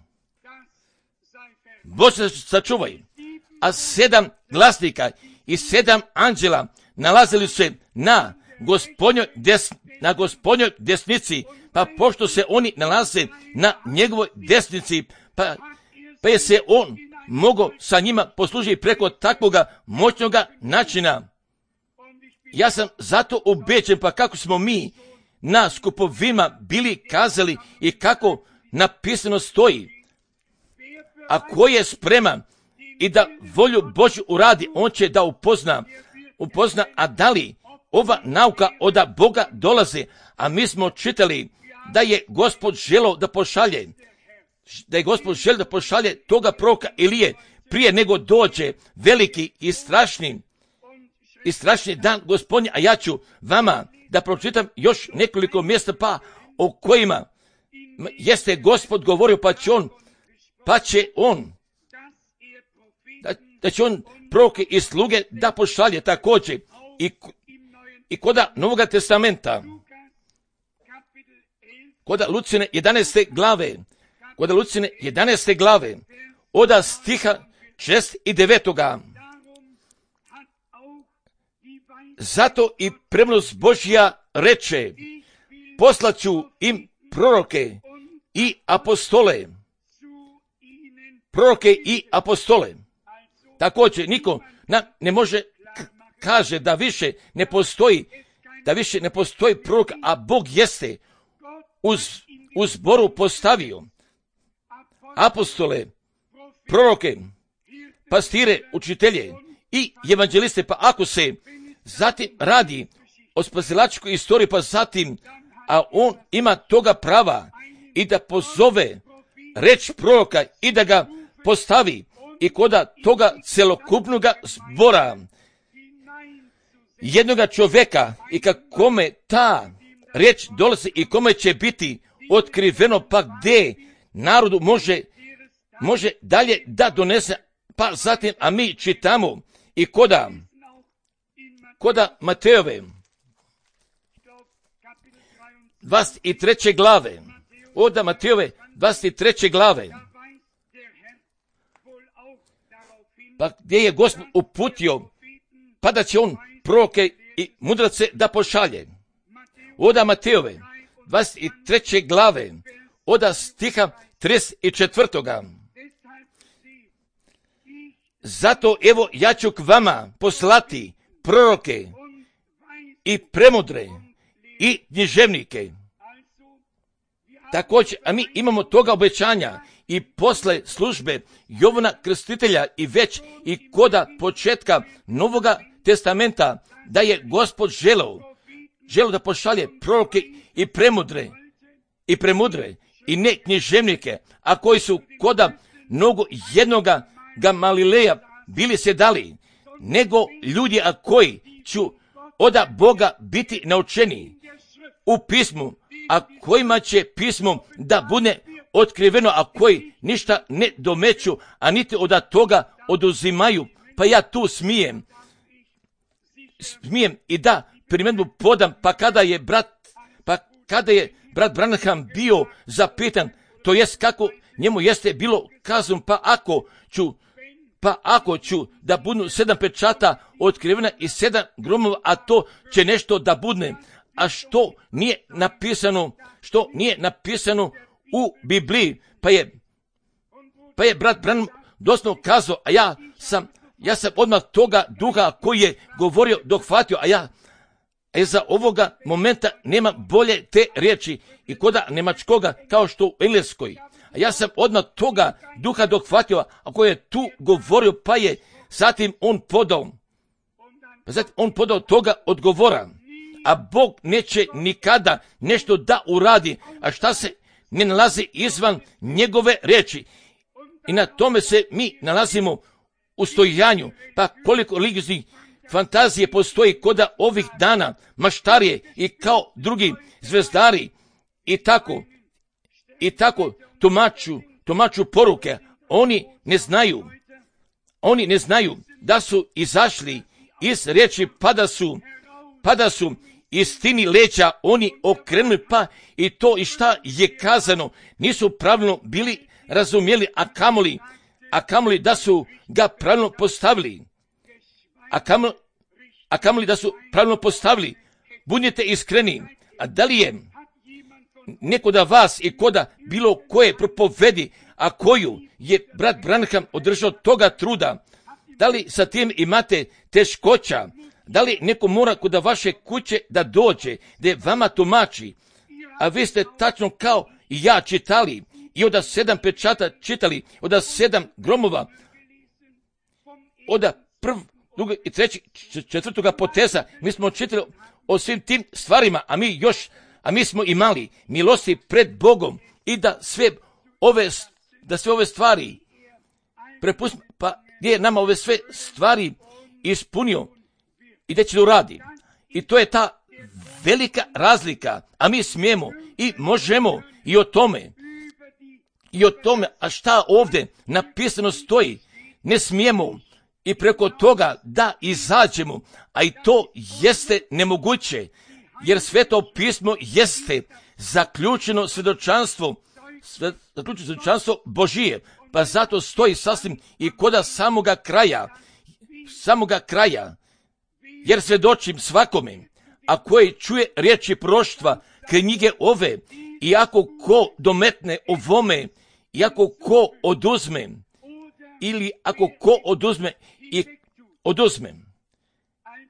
Bože sačuvaj. A sedam glasnika i sedam anđela nalazili se na Gospodnjoj des, na Gospodnjoj desnici, pa pošto se oni nalaze na njegovoj desnici, pa, pa je se on mogao sa njima poslužiti preko takvoga moćnoga načina. Ja sam zato ubeđen, pa kako smo mi na skupovima bili kazali i kako napisano stoji, a ko je spreman i da volju Božju uradi, on će da upozna, upozna, a da li ova nauka od Boga dolazi, a mi smo čitali da je Gospod želeo da pošalje, da je Gospod želeo da pošalje toga proroka Ilije prije nego dođe veliki i strašni i strašni dan Gospodnji, a ja ću vama da pročitam još nekoliko mjesta, pa o kojima jeste Gospod govorio, pa će on, pa će on, da, da će on proroke i sluge da pošalje također i, i koda Novoga testamenta, koda Lucine jedanaeste glave, koda Lucine jedanaeste glave, oda stiha šest i devetoga. Zato i premnost Božja reče, poslaću im proroke i apostole. Proroke i apostole. Također niko na, ne može k- kaže da više ne postoji, da više ne postoji prorok, a Bog jeste uz, uz zboru postavio apostole, proroke, pastire, učitelje i evanđeliste. Pa ako se zatim radi o spasilačkoj istoriji, pa zatim, a on ima toga prava i da pozove reč proroka i da ga postavi i koda toga celokupnog zbora jednoga čovjeka i kakome ta reč dolazi i kome će biti otkriveno, pa gdje narodu može, može dalje da donese. Pa zatim, a mi čitamo i koda, koda Matejove dvadeset treće glave, oda Matejove dvadeset treće glave, pa gdje je Gospod uputio, pa da će on proroke i mudrace da pošalje. Oda Matejove dvadeset treće glave, oda stiha trideset četvrtoga. Zato evo ja ću k vama poslati proroke i premudre i književnike. Također, a mi imamo toga obećanja i posle službe Jovana Krstitelja i već i koda početka Novoga testamenta, da je Gospod želeo, želeo da pošalje proroke i premudre, i premudre, i ne književnike, a koji su koda mnogo jednoga Gamalileja bili se dali, nego ljudi, a koji ću oda Boga biti naučeni u pismu, a kojima će pismo da bude otkriveno, a koji ništa ne domeću, a niti od toga oduzimaju. Pa ja tu smijem, smijem i da primjedbu podam, pa kada je brat, pa kada je brat Branham bio zapitan, to jest kako njemu jeste bilo kazano, pa ako ću, pa ako ću da budu sedam pečata otkrivena i sedam gromova, a to će nešto da budne, a što nije napisano, što nije napisano u Bibliji, pa je, pa je brat Branham doslovno kazao, a ja sam, ja sam odmah toga duha koji je govorio dohvatio, a ja, a za ovoga momenta nema bolje te riječi i koda nemačkoga kao što u engleskoj. A ja sam odmah toga duha dohvatio, a koji je tu govorio, pa je zatim on podao, pa zatim on podao toga odgovora. A Bog neće nikada nešto da uradi, a šta se ne nalazi izvan njegove riječi. I na tome se mi nalazimo u stojanju. Pa koliko ligiznih fantazije postoji koda ovih dana, maštarije i kao drugi zvezdari i tako, i tako tumaču, tumaču poruke. Oni ne znaju, oni ne znaju da su izašli iz riječi, pa da su, pa da su istini leđa oni okrenuli, pa i to i šta je kazano nisu pravilno bili razumjeli, a kamoli, a kamoli da su ga pravilno postavili, a kamoli, a kamoli da su pravilno postavili. Budite iskreni, a da li je neko da vas i koda bilo koje propovedi, a koju je brat Branham održao toga truda, da li sa tim imate teškoća? Da li neko mora kod vaše kuće da dođe, da vama tumači, a vi ste tačno kao i ja čitali i od sedam pečata čitali, od sedam gromova, od prv, drugo i treći, četvrtoga poteza, mi smo čitali o svim tim stvarima, a mi još, a mi smo imali milosti pred Bogom i da sve ove, da sve ove stvari prepustimo, pa gdje je nama ove sve stvari ispunio i da će da uradi. I to je ta velika razlika, a mi smijemo i možemo i o tome, i o tome, a šta ovdje napisano stoji, ne smijemo, i preko toga da izađemo, a i to jeste nemoguće, jer Sveto pismo jeste zaključeno svjedočanstvo, zaključeno svjedočanstvo Božije, pa zato stoji sasvim i koda samoga kraja, samoga kraja, jer svjedočim svakome, a koji čuje riječi proroštva knjige ove, i ako ko dometne ovome, i ako ko oduzme, ili ako ko oduzme i oduzme.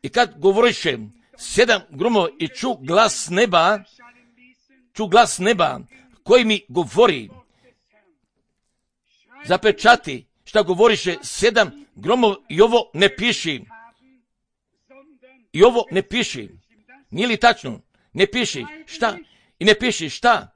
I kad govoriše sedam gromova i ču glas neba, ču glas neba koji mi govori, zapečati šta govoriše sedam gromova i ovo ne piši. I ovo ne piši. Nije li tačno? Ne piši. Šta? I ne piši. Šta?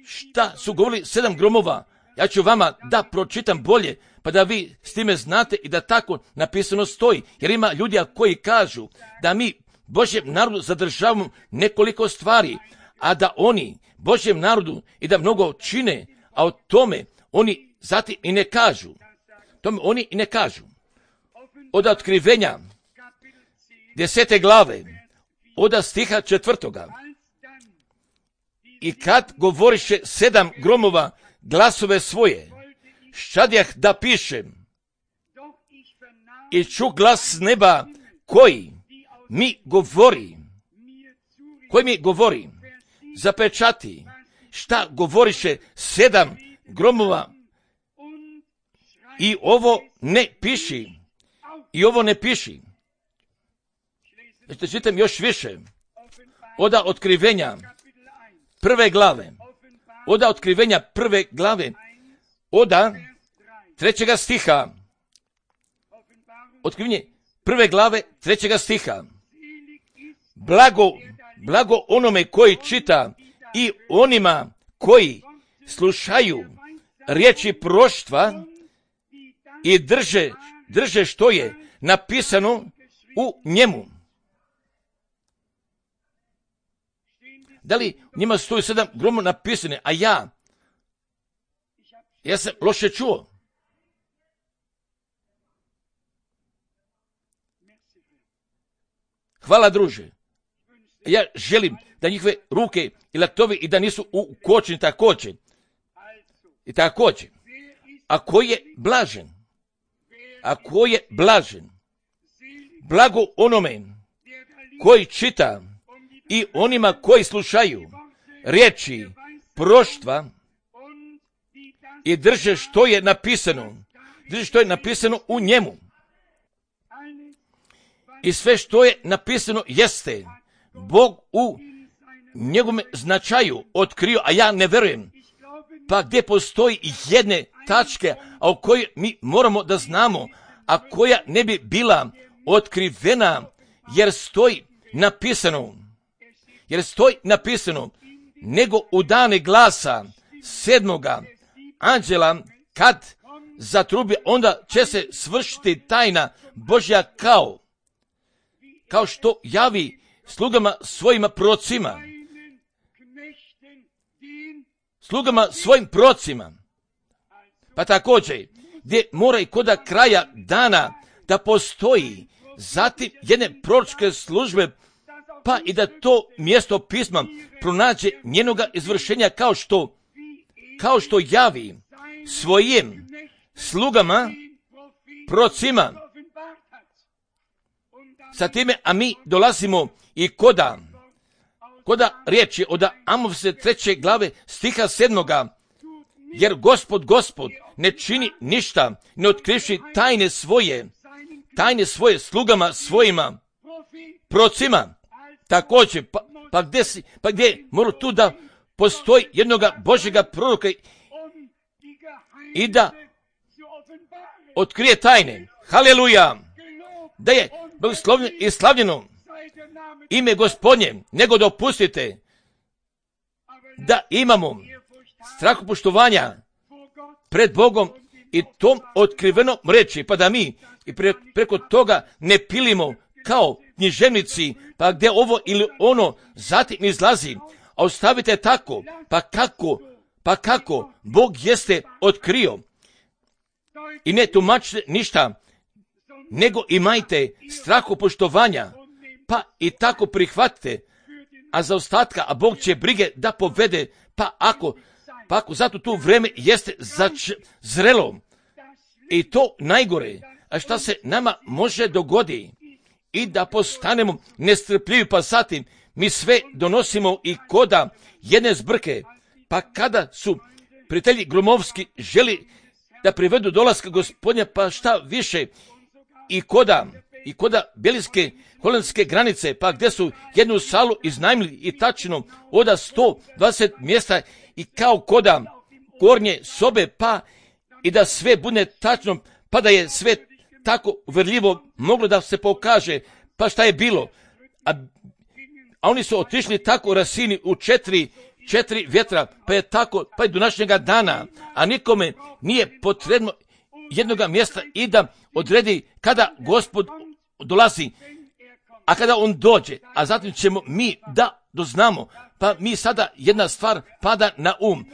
Šta su govorili sedam gromova? Ja ću vama da pročitam bolje, pa da vi s time znate i da tako napisano stoji. Jer ima ljudi koji kažu da mi Božjem narodu zadržavamo nekoliko stvari, a da oni Božjem narodu i da mnogo čine, a o tome oni zatim i ne kažu. Tome oni i ne kažu. Od otkrivenja desete glave, od stiha četvrtoga. I kad govoriše sedam gromova glasove svoje, ščadjah da pišem, i ču glas neba koji mi govori, koji mi govori, zapečati šta govoriše sedam gromova, i ovo ne piši, i ovo ne piši. Znači, čitam još više. Oda otkrivenja prve glave, oda otkrivenja prve glave, oda trećega stiha, otkrivenje prve glave trećega stiha. Blago, blago onome koji čita i onima koji slušaju riječi proroštva i drže, drže što je napisano u njemu. Da li njima stoji sedam gromova napisane, a ja, ja sam loše čuo. Hvala, druže. Ja želim da njihove ruke i laktovi i da nisu u kočni također. I također. A ko je blažen? A ko je blažen? Blago onome koji čita i onima koji slušaju riječi proroštva i drže što je napisano, drže što je napisano u njemu. I sve što je napisano jeste Bog u njegovom značaju otkrio, a ja ne verujem. Pa gdje postoji jedne tačke, a o kojoj mi moramo da znamo, a koja ne bi bila otkrivena, jer stoji napisano, jer stoji napisano, nego u dane glasa sedmoga anđela, kad zatrubi, onda će se svršiti tajna Božja kao, kao što javi slugama svojima prorocima, slugama svojim prorocima. Pa također, gdje mora i koda kraja dana da postoji zatim jedne proročke službe, pa i da to mjesto pisma pronađe njenoga izvršenja kao što, kao što javi svojim slugama, prorocima. Sa time, a mi dolazimo i koda, koda riječi od Amosove treće glave stiha sedmoga, jer Gospod, Gospod ne čini ništa, ne otkrivši tajne svoje, tajne svoje slugama svojima, prorocima. Također, pa, pa gdje si, pa gdje mora tu da postoji jednoga Božjega proroka i da otkrije tajne. Haleluja! Da je blagoslovljeno i slavljeno ime Gospodnje, nego dopustite da imamo strahopoštovanja pred Bogom i tom otkrivenom reči, pa da mi i pre, preko toga ne pilimo kao književnici, pa gdje ovo ili ono zatim izlazi, a ostavite tako, pa kako, pa kako Bog jeste otkrio i ne tumačite ništa, nego imajte strahu poštovanja, pa i tako prihvatite, a za ostatka, a Bog će brige da povede, pa ako, pa ako zato tu vreme jeste zač, zrelo, i to najgore, a šta se nama može dogodi, i da postanemo nestrpljivi, pa zatim mi sve donosimo i koda jedne zbrke, pa kada su prijatelji Gromovski želi da privedu dolaska Gospodnja, pa šta više, i koda, i koda belgijske, holandske granice, pa gdje su jednu salu iznajmili i tačno oda sto dvadeset mjesta i kao koda gornje sobe, pa i da sve bude tačno, pa da je sve tako uverljivo moglo da se pokaže, pa šta je bilo. A, a oni su otišli tako rasini u četiri, četiri vjetra, pa je tako, pa i do današnjega dana, a nikome nije potrebno jednoga mjesta i da odredi kada Gospod dolazi, a kada on dođe, a zatim ćemo mi da doznamo, pa mi sada jedna stvar pada na um,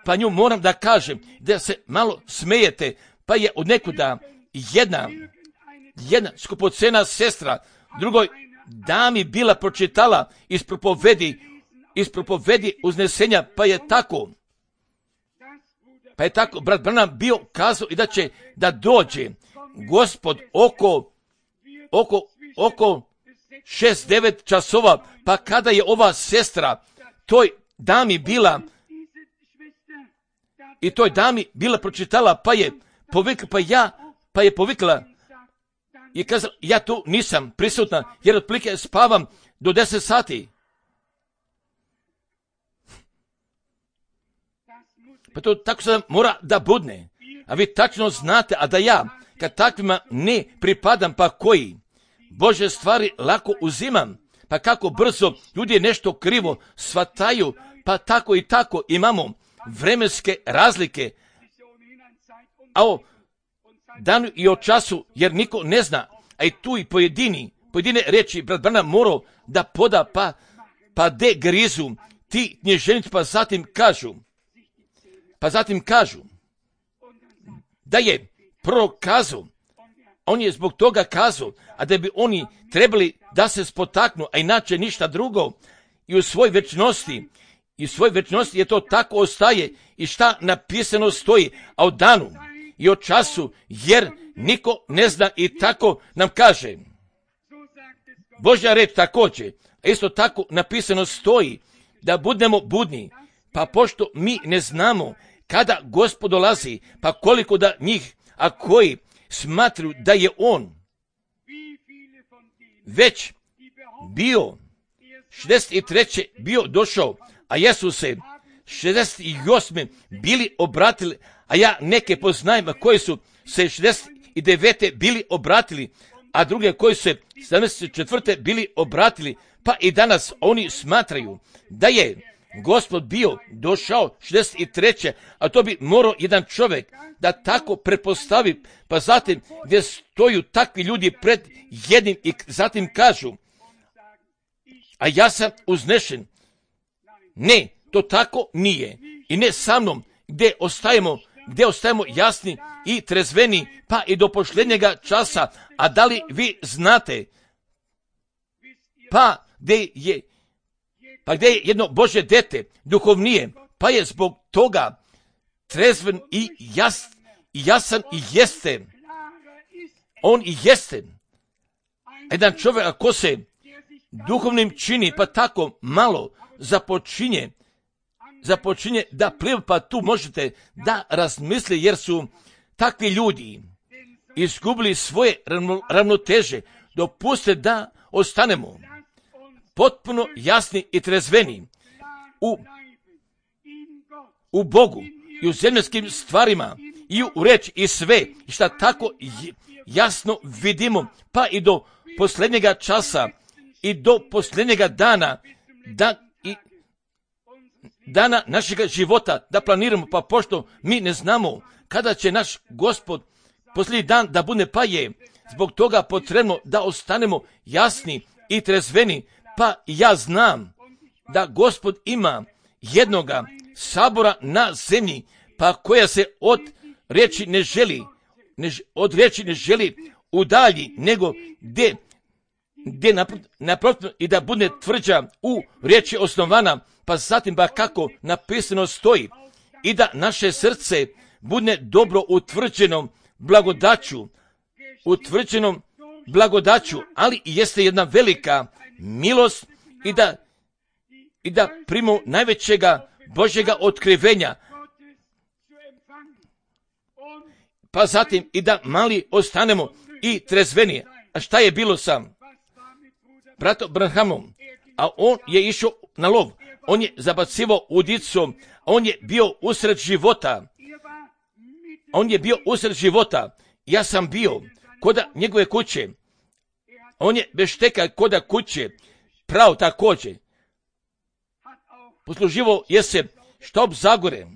pa nju moram da kažem, da se malo smijete, pa je od nekuda jedna, jedna skupocena sestra drugoj dami bila pročitala iz propovedi, iz propovedi uznesenja, pa je tako, pa je tako brat Branham bio kazao i da će da dođe Gospod oko, oko, oko šest devet časova, pa kada je ova sestra toj dami bila, i toj dami bila pročitala, pa je povikla, pa ja, pa je povikla i kazala, ja tu nisam prisutna, jer otprilike spavam do deset sati. Pa to tako sada mora da budne. A vi tačno znate, a da ja, kad takvima ne pripadam, pa koji Bože stvari lako uzimam, pa kako brzo ljudi nešto krivo shvataju, pa tako i tako imamo vremenske razlike, a o danu i o času, jer niko ne zna, a i tu i pojedini, pojedine reči brat Branham morao da poda, pa, pa de grizu ti knježenici, pa zatim kažu, pa zatim kažu, da je prorok kazao, on je zbog toga kazao, a da bi oni trebali da se spotaknu, a inače ništa drugo, i u svoj večnosti, i u svoj večnosti je to tako ostaje, i šta napisano stoji, a o danu i o času, jer niko ne zna, i tako nam kaže Božja reč također, a isto tako napisano stoji, da budemo budni, pa pošto mi ne znamo kada Gospod dolazi, pa koliko da njih, a koji smatruju da je on već bio šezdeset treće bio došao, a jesu se šezdeset osme bili obratili, a ja neke poznajem koji su se šezdeset devete bili obratili, a druge koji su se sedamdeset četvrte bili obratili, pa i danas oni smatraju da je Gospod bio došao šezdeset treće, a to bi morao jedan čovjek da tako pretpostavi, pa zatim gdje stoju takvi ljudi pred jednim i zatim kažu, a ja sam uznešen. Ne, to tako nije. I ne sa mnom, gdje ostajemo, gdje ostajemo jasni i trezveni, pa i do posljednjega časa. A da li vi znate, pa gdje je, pa gdje je jedno Božje dete, duhovnije, pa je zbog toga trezven i jas, jasan i jeste. On i jeste. Jedan čovjek ako se duhovnim čini, pa tako malo započinje, započinje da pliva, pa tu možete da razmisli, jer su takvi ljudi izgubili svoje ravnoteže. Dopustite da ostanemo potpuno jasni i trezveni u, u Bogu i u zemaljskim stvarima i u reč i sve, i šta tako jasno vidimo, pa i do posljednjega časa i do posljednjega dana, da i dana našega života da planiramo, pa pošto mi ne znamo kada će naš Gospod posljednji dan da bude, pa je zbog toga potrebno da ostanemo jasni i trezveni. Pa ja znam da Gospod ima jednoga sabora na zemlji, pa koja se od riječi ne želi, ne, od riječi ne želi udalji, nego gdje, gdje naprotiv i da bude tvrđa u riječi osnovana, pa zatim ba kako napisano stoji, i da naše srce bude dobro utvrđeno blagodaću, utvrđenom blagodaću, ali jeste jedna velika milost i da, i da primimo najvećega Božjega otkrivenja, pa zatim i da mali ostanemo i trezveni. A šta je bilo sam bratom Branhamom? A on je išao na lov, on je zabacivao udicom, on je bio usred života, on je bio usred života, ja sam bio koda njegove kuće, on je bez šteka koda kuće, pravo također, posluživo je se štop Zagore.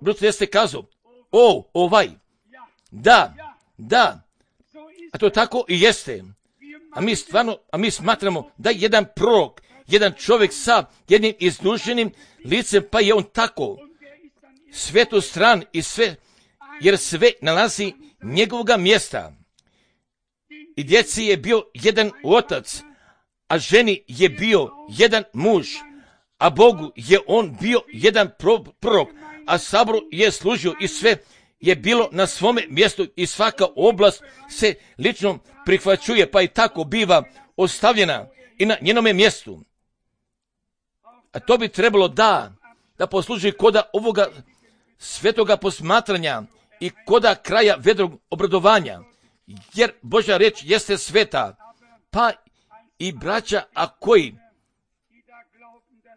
Brzo jeste kazao, o, ovaj, da, da, a to tako i jeste. A mi stvarno, a mi smatramo da je jedan prorok, jedan čovjek sa jednim iznuženim licem, pa je on tako svetu stran i sve, jer sve nalazi njegovoga mjesta. I djeci je bio jedan otac, a ženi je bio jedan muž, a Bogu je on bio jedan prorok, a saboru je služio i sve je bilo na svome mjestu i svaka oblast se lično prihvaćuje, pa i tako biva ostavljena i na njenome mjestu. A to bi trebalo da, da posluži koda ovoga svetoga posmatranja i koda kraja vedrog obradovanja, jer Božja riječ jeste sveta, pa i braća, a koji,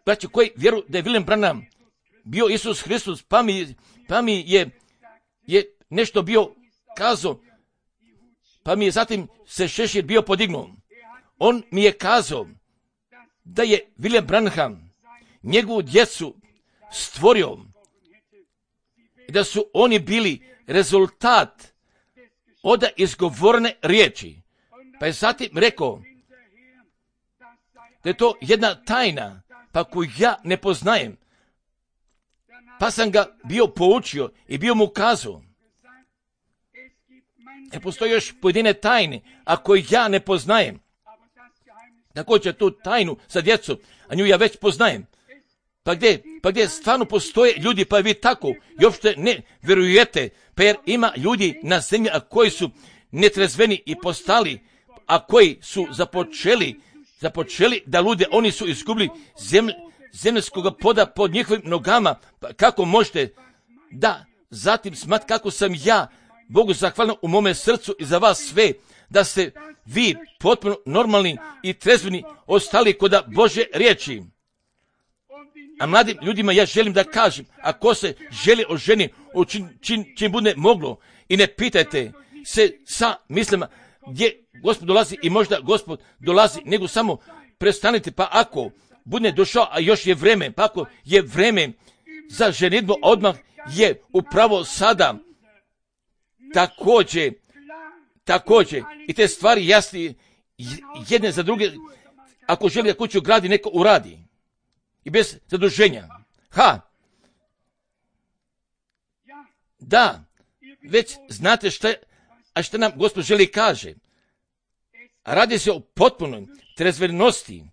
braća koji vjeruju da je William Branham bio Isus Hristos, pa mi, pa mi je, je nešto bio kazao, pa mi je zatim se šešir bio podignuo. On mi je kazao da je William Branham njegovu djecu stvorio i da su oni bili rezultat od izgovorene riječi. Pa je zatim rekao da je to jedna tajna, pa koju ja ne poznajem. Pa sam ga bio poučio i bio mu kazao, ne postoji još pojedine tajne, a koje ja ne poznajem. Također tu tajnu sa djecom, a nju ja već poznajem. Pa gdje, pa gdje stvarno postoje ljudi, pa vi tako i uopšte ne vjerujete, pa jer ima ljudi na zemlji, a koji su netrezveni i postali, a koji su započeli, započeli da lude, oni su izgubili zemlj, zemljskog poda pod njihovim nogama. Pa kako možete da zatim smat kako sam ja Bogu zahvalan u mome srcu i za vas sve, da ste vi potpuno normalni i trezveni ostali koda Bože riječi. A mladim ljudima ja želim da kažem, ako se želi o ženi, o čim, čim, čim bude moglo, i ne pitajte se sa mislima gdje Gospod dolazi i možda Gospod dolazi, nego samo prestanite, pa ako bude došao, a još je vreme, pa ako je vreme za ženidbu, odmah je upravo sada. Također, također, i te stvari jasni jedne za druge, ako želi da kuću gradi, neko uradi. I bez zaduženja. Ha! Da, već znate šta, a šta nam Gospod želi kaže. Radi se o potpunoj trezvenosti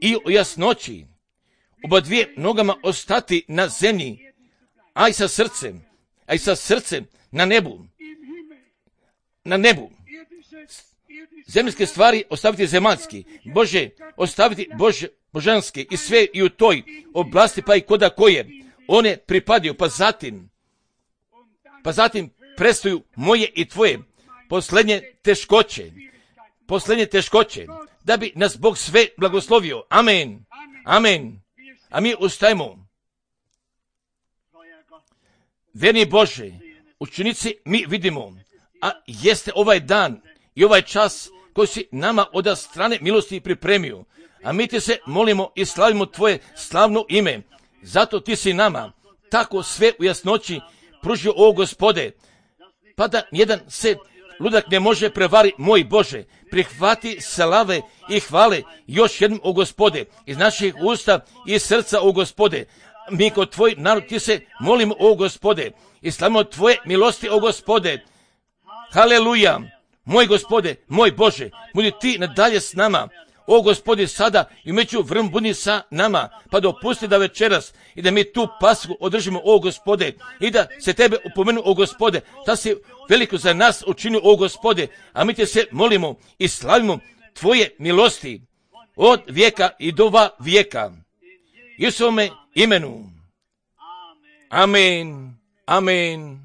i o jasnoći. Oba dvije nogama ostati na zemlji, a i sa srcem, a i sa srcem na nebu. Na nebu. Zemljske stvari ostaviti zemaljski. Bože, ostaviti Bože, božanske i sve i u toj oblasti, pa i koda koje one pripadaju, pa zatim, pa zatim prestaju moje i tvoje posljednje teškoće, posljednje teškoće, da bi nas Bog sve blagoslovio. Amen. Amen. A mi ustajemo. Verni Bože, učenici mi vidimo, a jeste ovaj dan i ovaj čas koji si nama od strane milosti pripremio. A mi ti se molimo i slavimo tvoje slavno ime. Zato ti si nama tako sve u jasnoći pružio, o Gospode, pa da jedan se ludak ne može prevari, moj Bože. Prihvati slave i hvale još jednom, o Gospode, iz naših usta i srca, o Gospode. Mi kod tvoj narod ti se molimo, o Gospode, i slavimo tvoje milosti, o Gospode. Haleluja. Moj Gospode, moj Bože, budi ti nadalje s nama. O Gospode, sada i među vrm budi sa nama, pa dopusti da večeras i da mi tu pasku održimo, o Gospode, i da se tebe upomenu, o Gospode, da si veliko za nas učinio, o Gospode, a mi te se molimo i slavimo tvoje milosti od vijeka i do va vijeka. Isuse imenu. Amen. Amen.